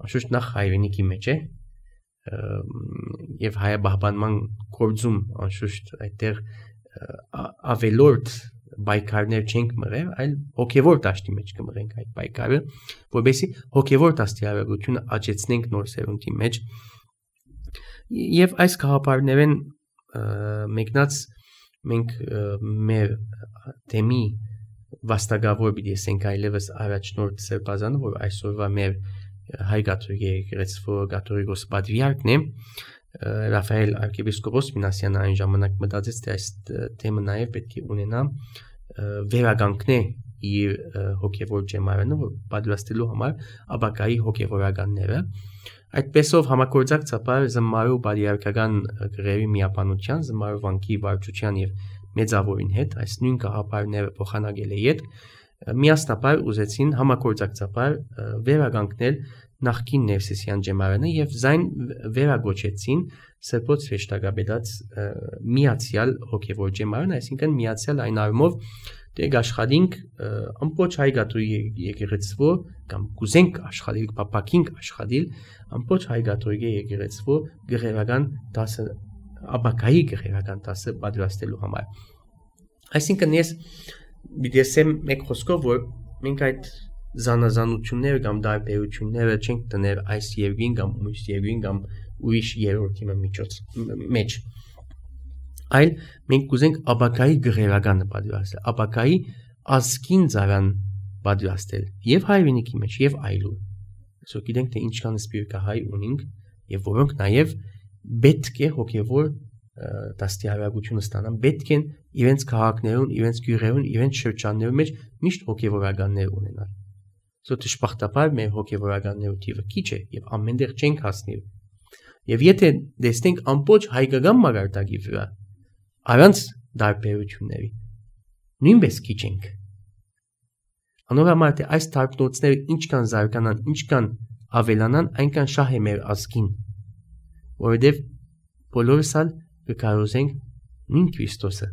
անշուշտ նախ հայրենիքի մեջ է եւ հայաբահբանման գործում անշուշտ այդտեղ ավելորդ բայկարներ չենք մղել, այլ հոգևոր դաշտի մեջ կմղենք այդ բայկարը, որովհետեւ հոգևոր դաստիարակությունը աճեցնենք նոր սերունդի մեջ եւ այս գաղափարներեն մեկնած մենք մեր թեմի վաստակավոր պիտի ասենք այլևս առաջնորդ սրբազանը, որ այսօրվա մեր Հայ կաթողիկե եկեղեցու կաթողիկոս պատվիարքն է Ռաֆայել arczepiskopos Մինասյանը այն ժամանակ մտածեց, թե այս թեմը նաև պետք է ունենա վերագանքն է իր հոգևոր ջեմարանը, որ պատվաստելու համար ապակայի հոգևորականները։ Այդպեսով համագործակցաբար զմարու պատվիարքական գրերի միապանության, զմարու վանքի վարչության եւ մեծավորին հետ այս նույն գաղափարները փոխանակել է իդ միասնաբար ուզեցին համագործակցաբար վերագանքնել նախկին Ներսեսյան ջեմարանը եւ զայն վերագոչեցին Սրբոց հրեշտակապետած Միացյալ Հոգևոր Ջեմարանը, այսինքն միացյալ այն առումով թե աշխատենք ամբողջ հայ կաթողիկե եկեղեցու կամ կուզենք աշխատել, փապակինք աշխատել ամբողջ հայ կաթողիկե եկեղեցու գեղերական 10 ապակայի գեղերական 10 պատրաստելու համար։ Այսինքն ես Բիդեսեմ մեկ խոսքով որ մենք այդ զանազանությունները կամ դարբերությունները չենք տներ այս երկին կամ ուրիշ երկին կամ ուրիշ երրորդի մեջ այլ մենք կուզենք ապակայի գղերականը պատրաստել ապակայի ազգին ծառան պատրաստել եւ հայրենիքի մեջ եւ այլուր այսօր գիտենք թե ինչքան սպիրկահայ ունենք եւ որոնք նաեւ պետք է հոգեվոր դաստիարակությունը ստանան պետք են իրենց քաղաքներուն, իրենց գյուղերուն, իրենց շրջաններում մեջ միշտ հոգևորականներ ունենալ։ Սա դժբախտաբար մեր հոգևորականներու թիվը քիչ է եւ ամենտեղ չենք հասնի։ Եվ եթե դեսնենք ամբողջ հայկական մագարտակի վրա առանց դարբերությունների նույնպես քիչ ենք։ Անորոշ է այս դարբնոցները ինչքան զարգանան, ինչքան ավելանան, այնքան շահ է մեր ազգին։ Որովհետեւ բոլորս կկարողենք նույն Քրիստոսը,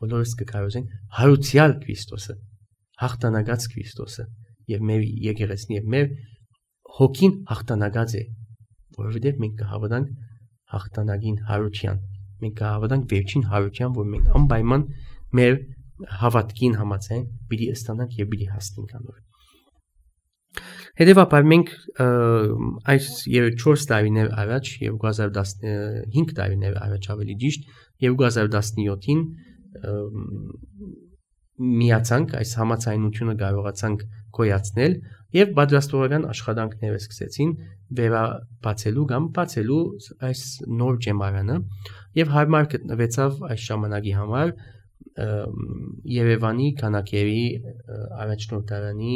բոլորս կկարողենք հարուցյալ Քրիստոսը, հաղթանակած Քրիստոսը եւ մեր եկեղեցին եւ մեր հոգին հաղթանակած է, որովհետեւ մենք կհավատանք հաղթանակին հարության, մենք կհավատանք վերջին հարության, որ մենք անպայման մեր հավատքին համաձայն պիտի ստանանք եւ պիտի հասնենք անոր։ Հետևաբար մենք այս 4 տարիներ առաջ 2015 տարիներ առաջ ավելի ճիշտ 2017-ին միացանք այս համաձայնությունը կարողացանք գոյացնել եւ պատրաստողական աշխատանքները սկսեցին վերաբացելու կամ բացելու այս նոր ջեմարանը եւ հարմար գտնվեցավ այս ժամանակի համար Երևանի քանակերի առաջնորդարանի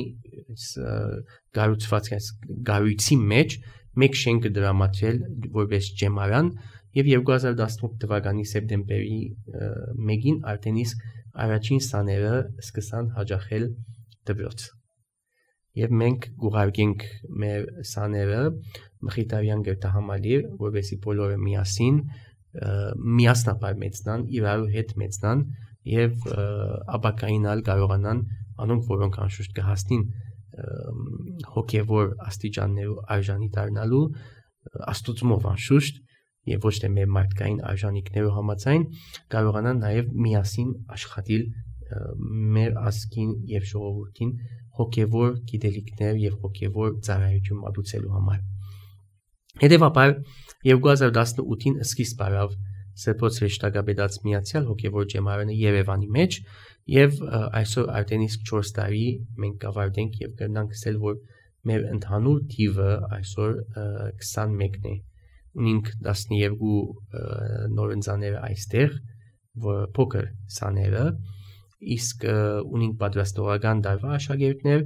գարույցի մեջ մեկ շենքը դրամատրել որպես ջեմարան եւ 2018 թվականի սեպտեմբերի 1-ին արդեն իսկ առաջին սաները սկսան հաջողել դպրոց եւ մենք գուղարկենք մեր սաները Մխիթարյան գրթահամալիր որովհետեւ բոլորը միասնապար մեծնան իրար հետ մեծնան եւ ապակայինալ կարողանան անոնք որոնք անշուշտ կհասնին հոգեվոր աստիճաններու արժանի դառնալու աստուծմով անշուշտ եւ ոչ թե մեր մարդկային արժանինքներով համաձայն կարողանան նաեւ միասին աշխատել մեր ազգին եւ ժողովրդին հոգեվոր գիտելիքներ եւ հոգեվոր ծառայություն մատուցելու համար։ Հետևաբար 2018-ին սկիզբ առավ Սրբոց Հրեշտակապետած Միացյալ հոգեվոր ջեմարանը Երևանի մեջ եւ այսօր արդեն իսկ 4 տարի մենք կավարտենք եւ կգնանք ասել որ մեր ընդհանուր թիվը այսօր 21-ն է ունենք 12 նորընծաները այստեղ որ փոքր սաները իսկ ունենք պատրաստողական դարվա աշակերտներ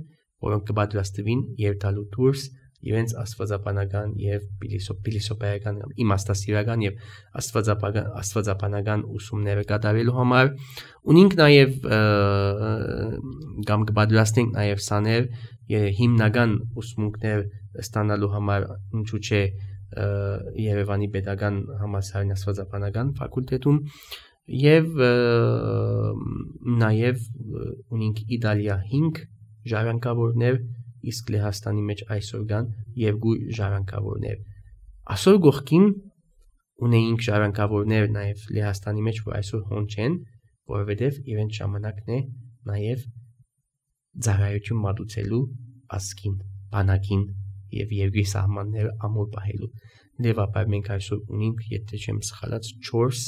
որոնք կպատրաստվին երթալու դուրս իրենց աստվածաբանական եւ փիլիսոփայական իմաստասիրական եւ աստվածաբանական ուսումները կատարելու համար ունենք նաեւ կամ կպատրաստենք նաեւ սաներ հիմնական ուսմունքներ ստանալու համար ինչու՞ չէ Երևանի Պետական Համալսարանի աստվածաբանական ֆակուլտետում եւ նաեւ ունենք Իտալիա 5 ժառանգավորներ իսկ Լեհաստանի մեջ այսօր կան 2 ժառանգավորներ այսօր գողքին ունեինք ժառանգավորներ նաեւ Լեհաստանի մեջ որ այսօր հոն չեն որովհետեւ իրենց ժամանակն է նաեւ ծառայություն մատուցելու ազգին բանակին եւ երկրի սահմանները ամուր պահելու դեպաբար մենք այսօր ունենք եթե չեմ սխալած 4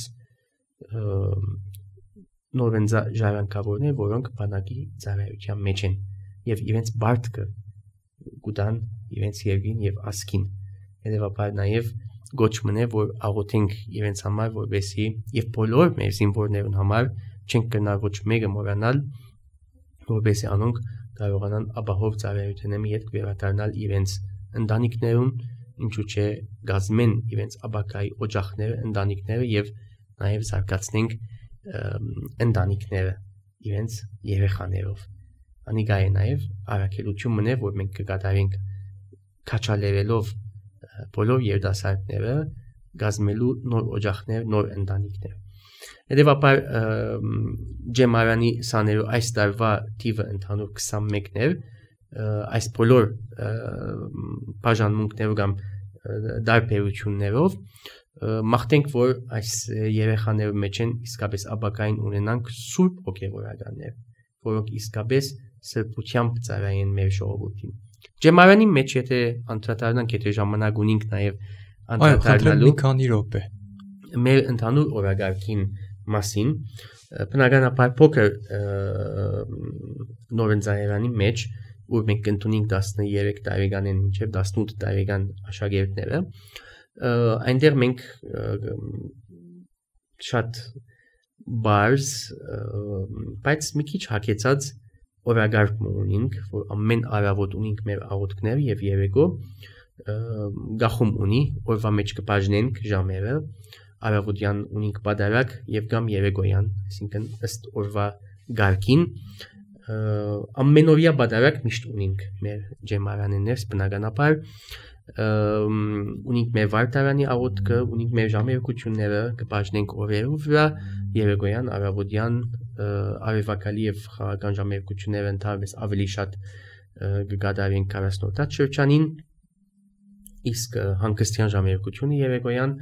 նորընձ ժառանգավորներ որոնք բանակի ծառայության մեջ են եւ իրենց բարտքը գուտան իրենց երկրին եւ ազգին հետեւաբար նաեւ գոչմն է որ աղոթենք իրենց համար որովհետեւ եւ բոլոր մեր զինվորներուն համար չենք կնա ոչ մեկը մոռանալ որովհետեւ անոնք կարողանան ապահով ծառայությունների հետ վերադառնալ իրենց ընտանիքներուն ինչու՞ չէ գազմեն իրենց ապակայի օջախները ընտանիքները եւ նաեւ զարգացնենք ընտանիքները իրենց երեխաներով անիկա է նաեւ առաքելություն մնե որ մենք կկատարենք քաչալերելով բոլոր երդասարտները գազմելու նոր օջախներ նոր ընտանիքներ հետեւաբար ջեմարանի սաներու այս տարվա թիվը ընդհանուր 21-ն էր այս բոլոր բաժանմունքներով կամ դարբերություններով մաղթենք որ այս երեխաներու մեջ են իսկապես ապակային ունենանք սուրբ հոգեվորականներ որոնք իսկապես սրբությամբ ծառայեն մեր ժողովրդին ջեմարանի մեջ եթե անդրադառնանք եթե ժամանակ ունենք նաև անդրադառնալու մի քանի րոպե մեր ընդհանուր օրագարկին մասին բնականաբար փոքր նորընձայարանի մեջ որ մենք ընդունենք 13 տարեկանեն մինչև 18 տարեկան աշակերտները այնտեղ մենք շատ բարձ բայց մի քիչ հակեցած օրագարկ ունենք որ ամեն առավոտ ունենք մեր աղոթքներ եւ երեկո գախում ունի օրվա մեջ կբաժնենք ժամերը առավոտյան ունենք պատարակ եւ կամ երեկոյան այսինքն ըստ օրվա գարկին ամենօրյա պատարակ միշտ ունենք մեր ջեմարաններս բնականաբար ունենք մեր վարտարանի աղոթքը ունենք մեր ժամերկությունները կբաժնենք օրերով վրա երեկոյան առավոտյան արևակալի եւ խաղական ժամերկությունները ընդհանրապես ավելի շատ կգադարենք 40-րդ շրջանին իսկ հանգստյան ժամերկությունը երեկոյան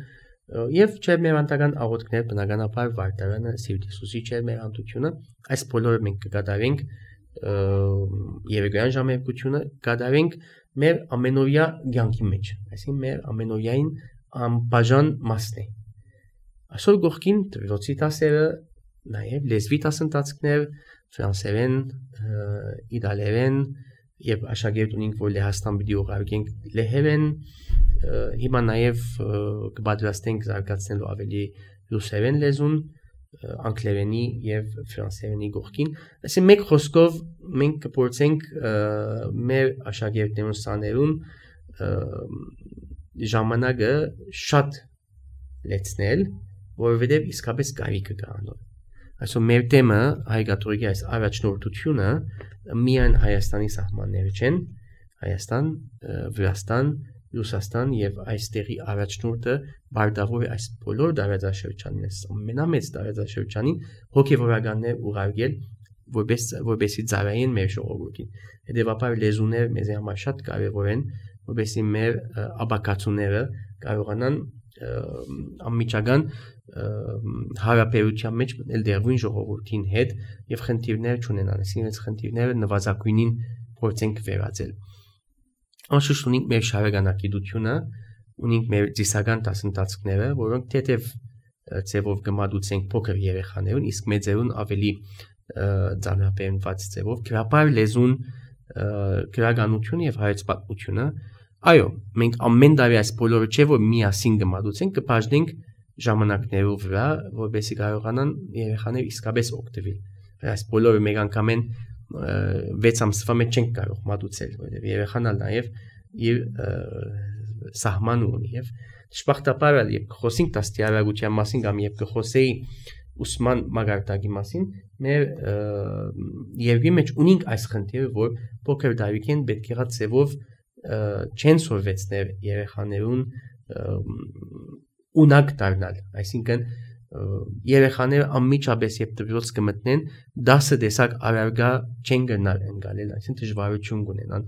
եւ չերմերանտական աղոթքներ բնականաբար վարտարանը Սիրտ Հիսուսի չերմերանդությունը այս բոլորը մենք կգադարենք երեկոյան ժամերկությունը կատարենք մեր ամենօրյա կյանքի մեջ, այսինքն մեր ամենօրյային անբաժան մասն է։ Այսօր գողքին դրոցի դասերը, նաև լեզվի դասընթացներ, ֆրանսերեն, իտալերեն եւ աշակերտ ունենք, որ Լեհաստան պիտի ուղարկենք լեհերեն, հիմա նաև կպատրաստենք զարգացնելու ավելի ռուսերեն լեզուն, անգլերենի եւ ֆրանսերենի գողքին, այսինքն մեկ խոսքով մենք կփորձենք մեր աշակերտներուն սաներուն ժամանակը շատ լեցնել, որովհետեւ իսկապես կարիքը կա անոր։ Այսօր մեր թեմը հայ-կաթողիկի այս առաջնորդությունը միայն Հայաստանի սահմանները չեն, Հայաստան, Վրաստան, Ռուսաստան եւ այստեղի առաջնորդը բարդավոր է այս բոլոր տարածաշրջանին, ամենամեծ տարածաշրջանին հոգեվորականներ ուղարկել, որպեսզի ծառայեն մեր ժողովրդին։ Հետևաբար լեզուները մեզ համար շատ կարևոր են, որպեսզի մեր աբակացուները կարողանան անմիջական հարաբերության մեջ մտնել դերվին ժողովրդին հետ եւ խնդիրներ չունենան, այսինքն այս խնդիրները նվազագույնին փորձենք վերածել։ Անշուշտ ունենք մեր շարականակիտությունը, ունենք մեր ծիսական դասընթացները, որոնք թեթև ձևով կմատուցենք փոքր երեխաներուն, իսկ մեծերուն ավելի ծանրաբեռնված ձևով, գրաբար լեզուն, գրականությունը եւ հայոց պատմությունը։ Այո, մենք ամեն տարի այս բոլորը չէ որ միասին կմատուցենք, կբաժնենք ժամանակներով վրա, որպեսզի կարողանան երեխաները իսկապես օգտվել։ Այս բոլորը մեկ անգամեն 6 ամսվա մեջ չենք կարող մատուցել, որովհետև երեխան նաև իր սահման ունի եւ դժբախտաբար երբ խոսենք դաստիարակության մասին կամ երբ կխոսեի ուսման մագարտակի մասին, մեր երկրի մեջ ունենք այս խնդիրը, որ փոքր տարիքին պետք է ցեվով չեն սովորեցնել երեխաներուն ունակ դառնալ, այսինքն երեխաները անմիջապես երբ դպրոց կմտնեն 10 տեսակ առարգա չեն գնալ ընկալել, այսինքն դժվարություն կունենան։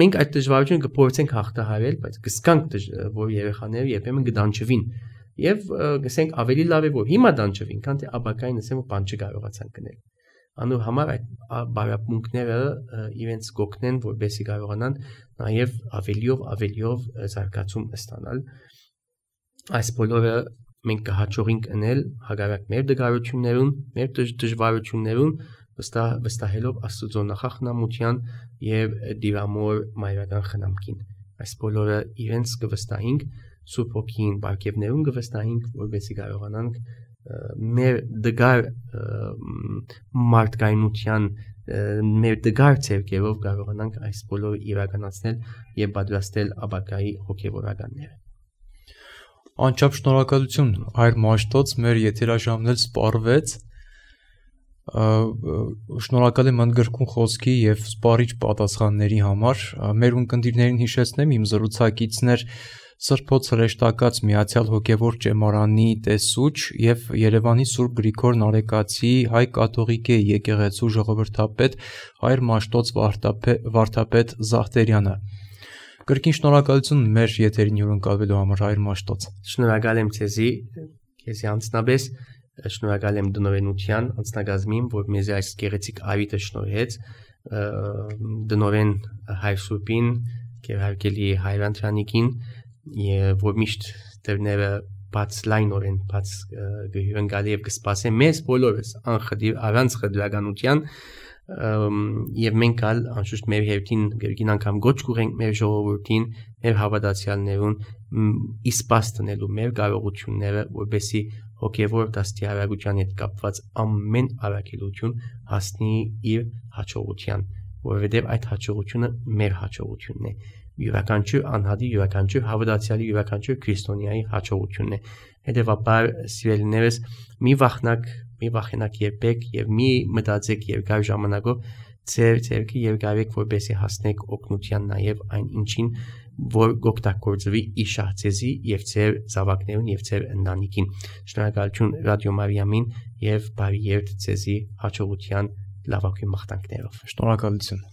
Մենք այդ դժվարությունը կփորձենք հաղթահարել, բայց կսկանք որ երեխաները երբեմն կդանչվին եւ գսենք ավելի լավ է որ հիմա դանչվին, քան թե ապակային ասեմ որ բան չկարողացան գնել։ Անու համար այդ բարապմունքները իրենց կօգնեն, որպեսզի կարողանան նաեւ ավելիով զարգացում ստանալ։ Այս բոլորը մենք կհաջողենք անել հակառակ մեր դժվարություններուն, մեր դժվարություններուն, վստահելով Աստծո նախախնամության եւ դիրամոր մայրական խնամքին։ Այս բոլորը իրենց կվստահենք, Սուրբ Հոգին բարգեւներուն կվստահենք, որպեսզի կարողանանք մեր դգար մարդկայնության, մեր դգար ցերկերով կարողանանք այս բոլորը իրականացնել եւ պատրաստել ապագայի հոգեվորականները։ Անչափ շնորհակալություն Հայր Մաշտոց, մեր եթերաժամն էլ սպառվեց։ Շնորհակալ եմ ընդգրկուն խոսքի եւ սպառիչ պատասխանների համար։ Մեր ունկնդիրներին հիշեցնեմ իմ զրուցակիցներ Սրբոց հրեշտակած Միացյալ Հոգևոր Ճեմարանի տեսուչ եւ Երևանի Սուրբ Գրիգոր Նարեկացի հայ կաթողիկե եկեղեցու ժողովրդապետ Հայր Մաշտոց Վարդապետ Զախտերյանը։ Կրկին շնորհակալություն մեր եթերին հյուրընկալվելու համար Հայր Մաշտոց։ Շնորհակալ եմ քեզի անձնապես, շնորհակալ եմ դնորենության անձնագազմին, որ մեզ այս գեղեցիկ ավիտը շնորհեց, դնորեն Հայր Սուրբին, Գերհարգելի Հայր Անդրանիկին, որ միշտ դերները բաց լայնորեն բաց գհյուրընկալի եւ կսպասեն մեզ բոլորս անխդիր առանց խդրականության եւ մենք ալ անշուշտ մեր հերթին գերգին անգամ գոչ կուղենք մեր ժողովրդին, մեր հավատացյալներուն իսպաս տնելու մեր կարողությունները, որպեսզի հոգևոր դաստիարակության հետ կապված ամեն առաքելություն հասնի իր հաջողության, որովհետեւ այդ հաջողությունը մեր հաջողությունն է։ Յուրաքանչյուր անհատի, յուրաքանչյուր հավատացյալի, յուրաքանչյուր քրիստոնյայի հաջողությունն է։ Հետևաբար սիրելիներս մի վախենակ երբեք եւ մի մտածեք երկար ժամանակով ձեր ձերքի երկարեք որպեսզի հասնեք օգնության նաեւ այն ինչին որ գոկտակորձվի իշահծեզի եւ ձեր զավակներուն եւ ձեր ընտանիքին։ Շնորհակալություն Ռադիո Մարիամին եւ բարի երթ ձեզի հաջողության լավագույն մաղթանքներով։ Շնորհակալություն։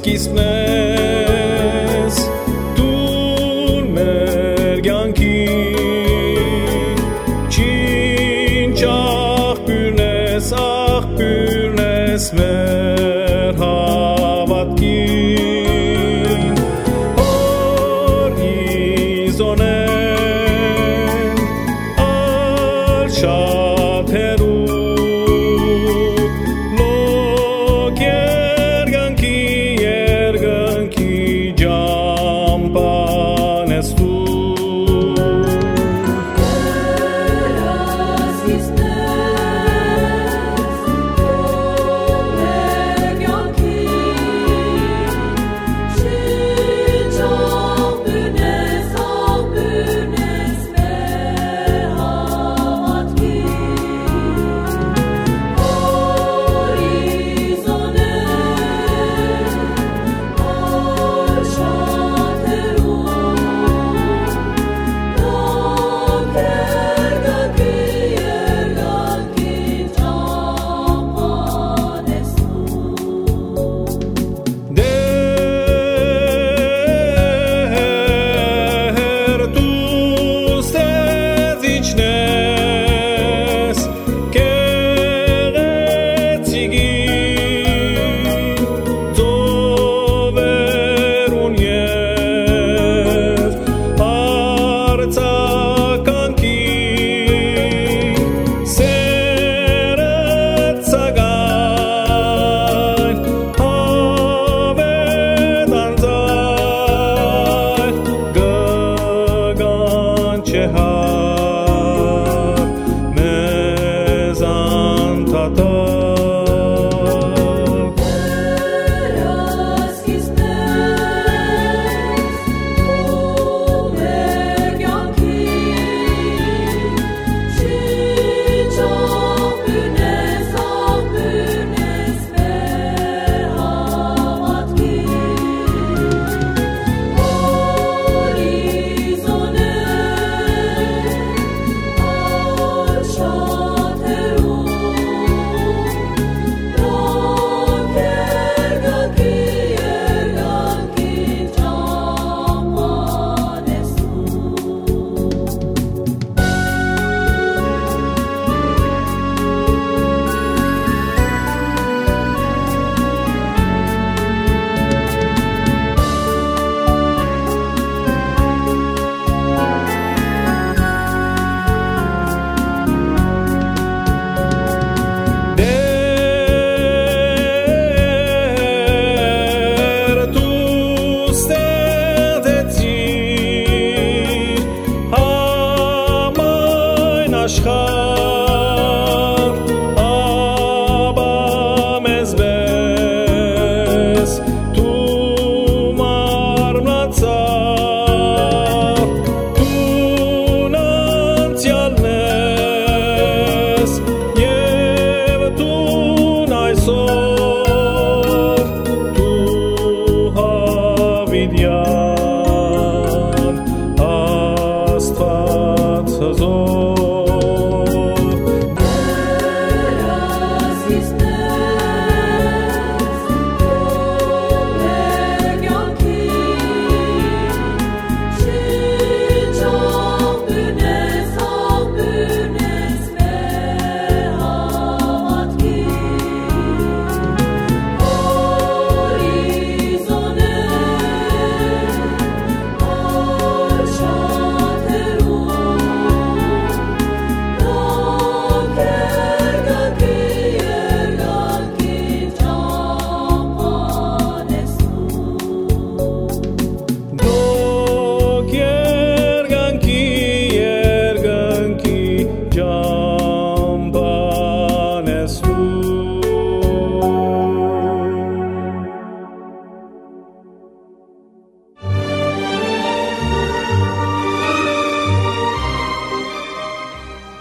կիսմես դու մեր կյանքի չինչախ աղբյուրնես մեր հավատքին հորիզոնեն ալ շատ հեռու լոկ երկնքի ջամփան ես դու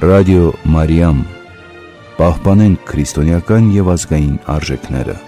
Ռադիո Մարիամ, պահպանենք քրիստոնեական եւ ազգային արժեքները։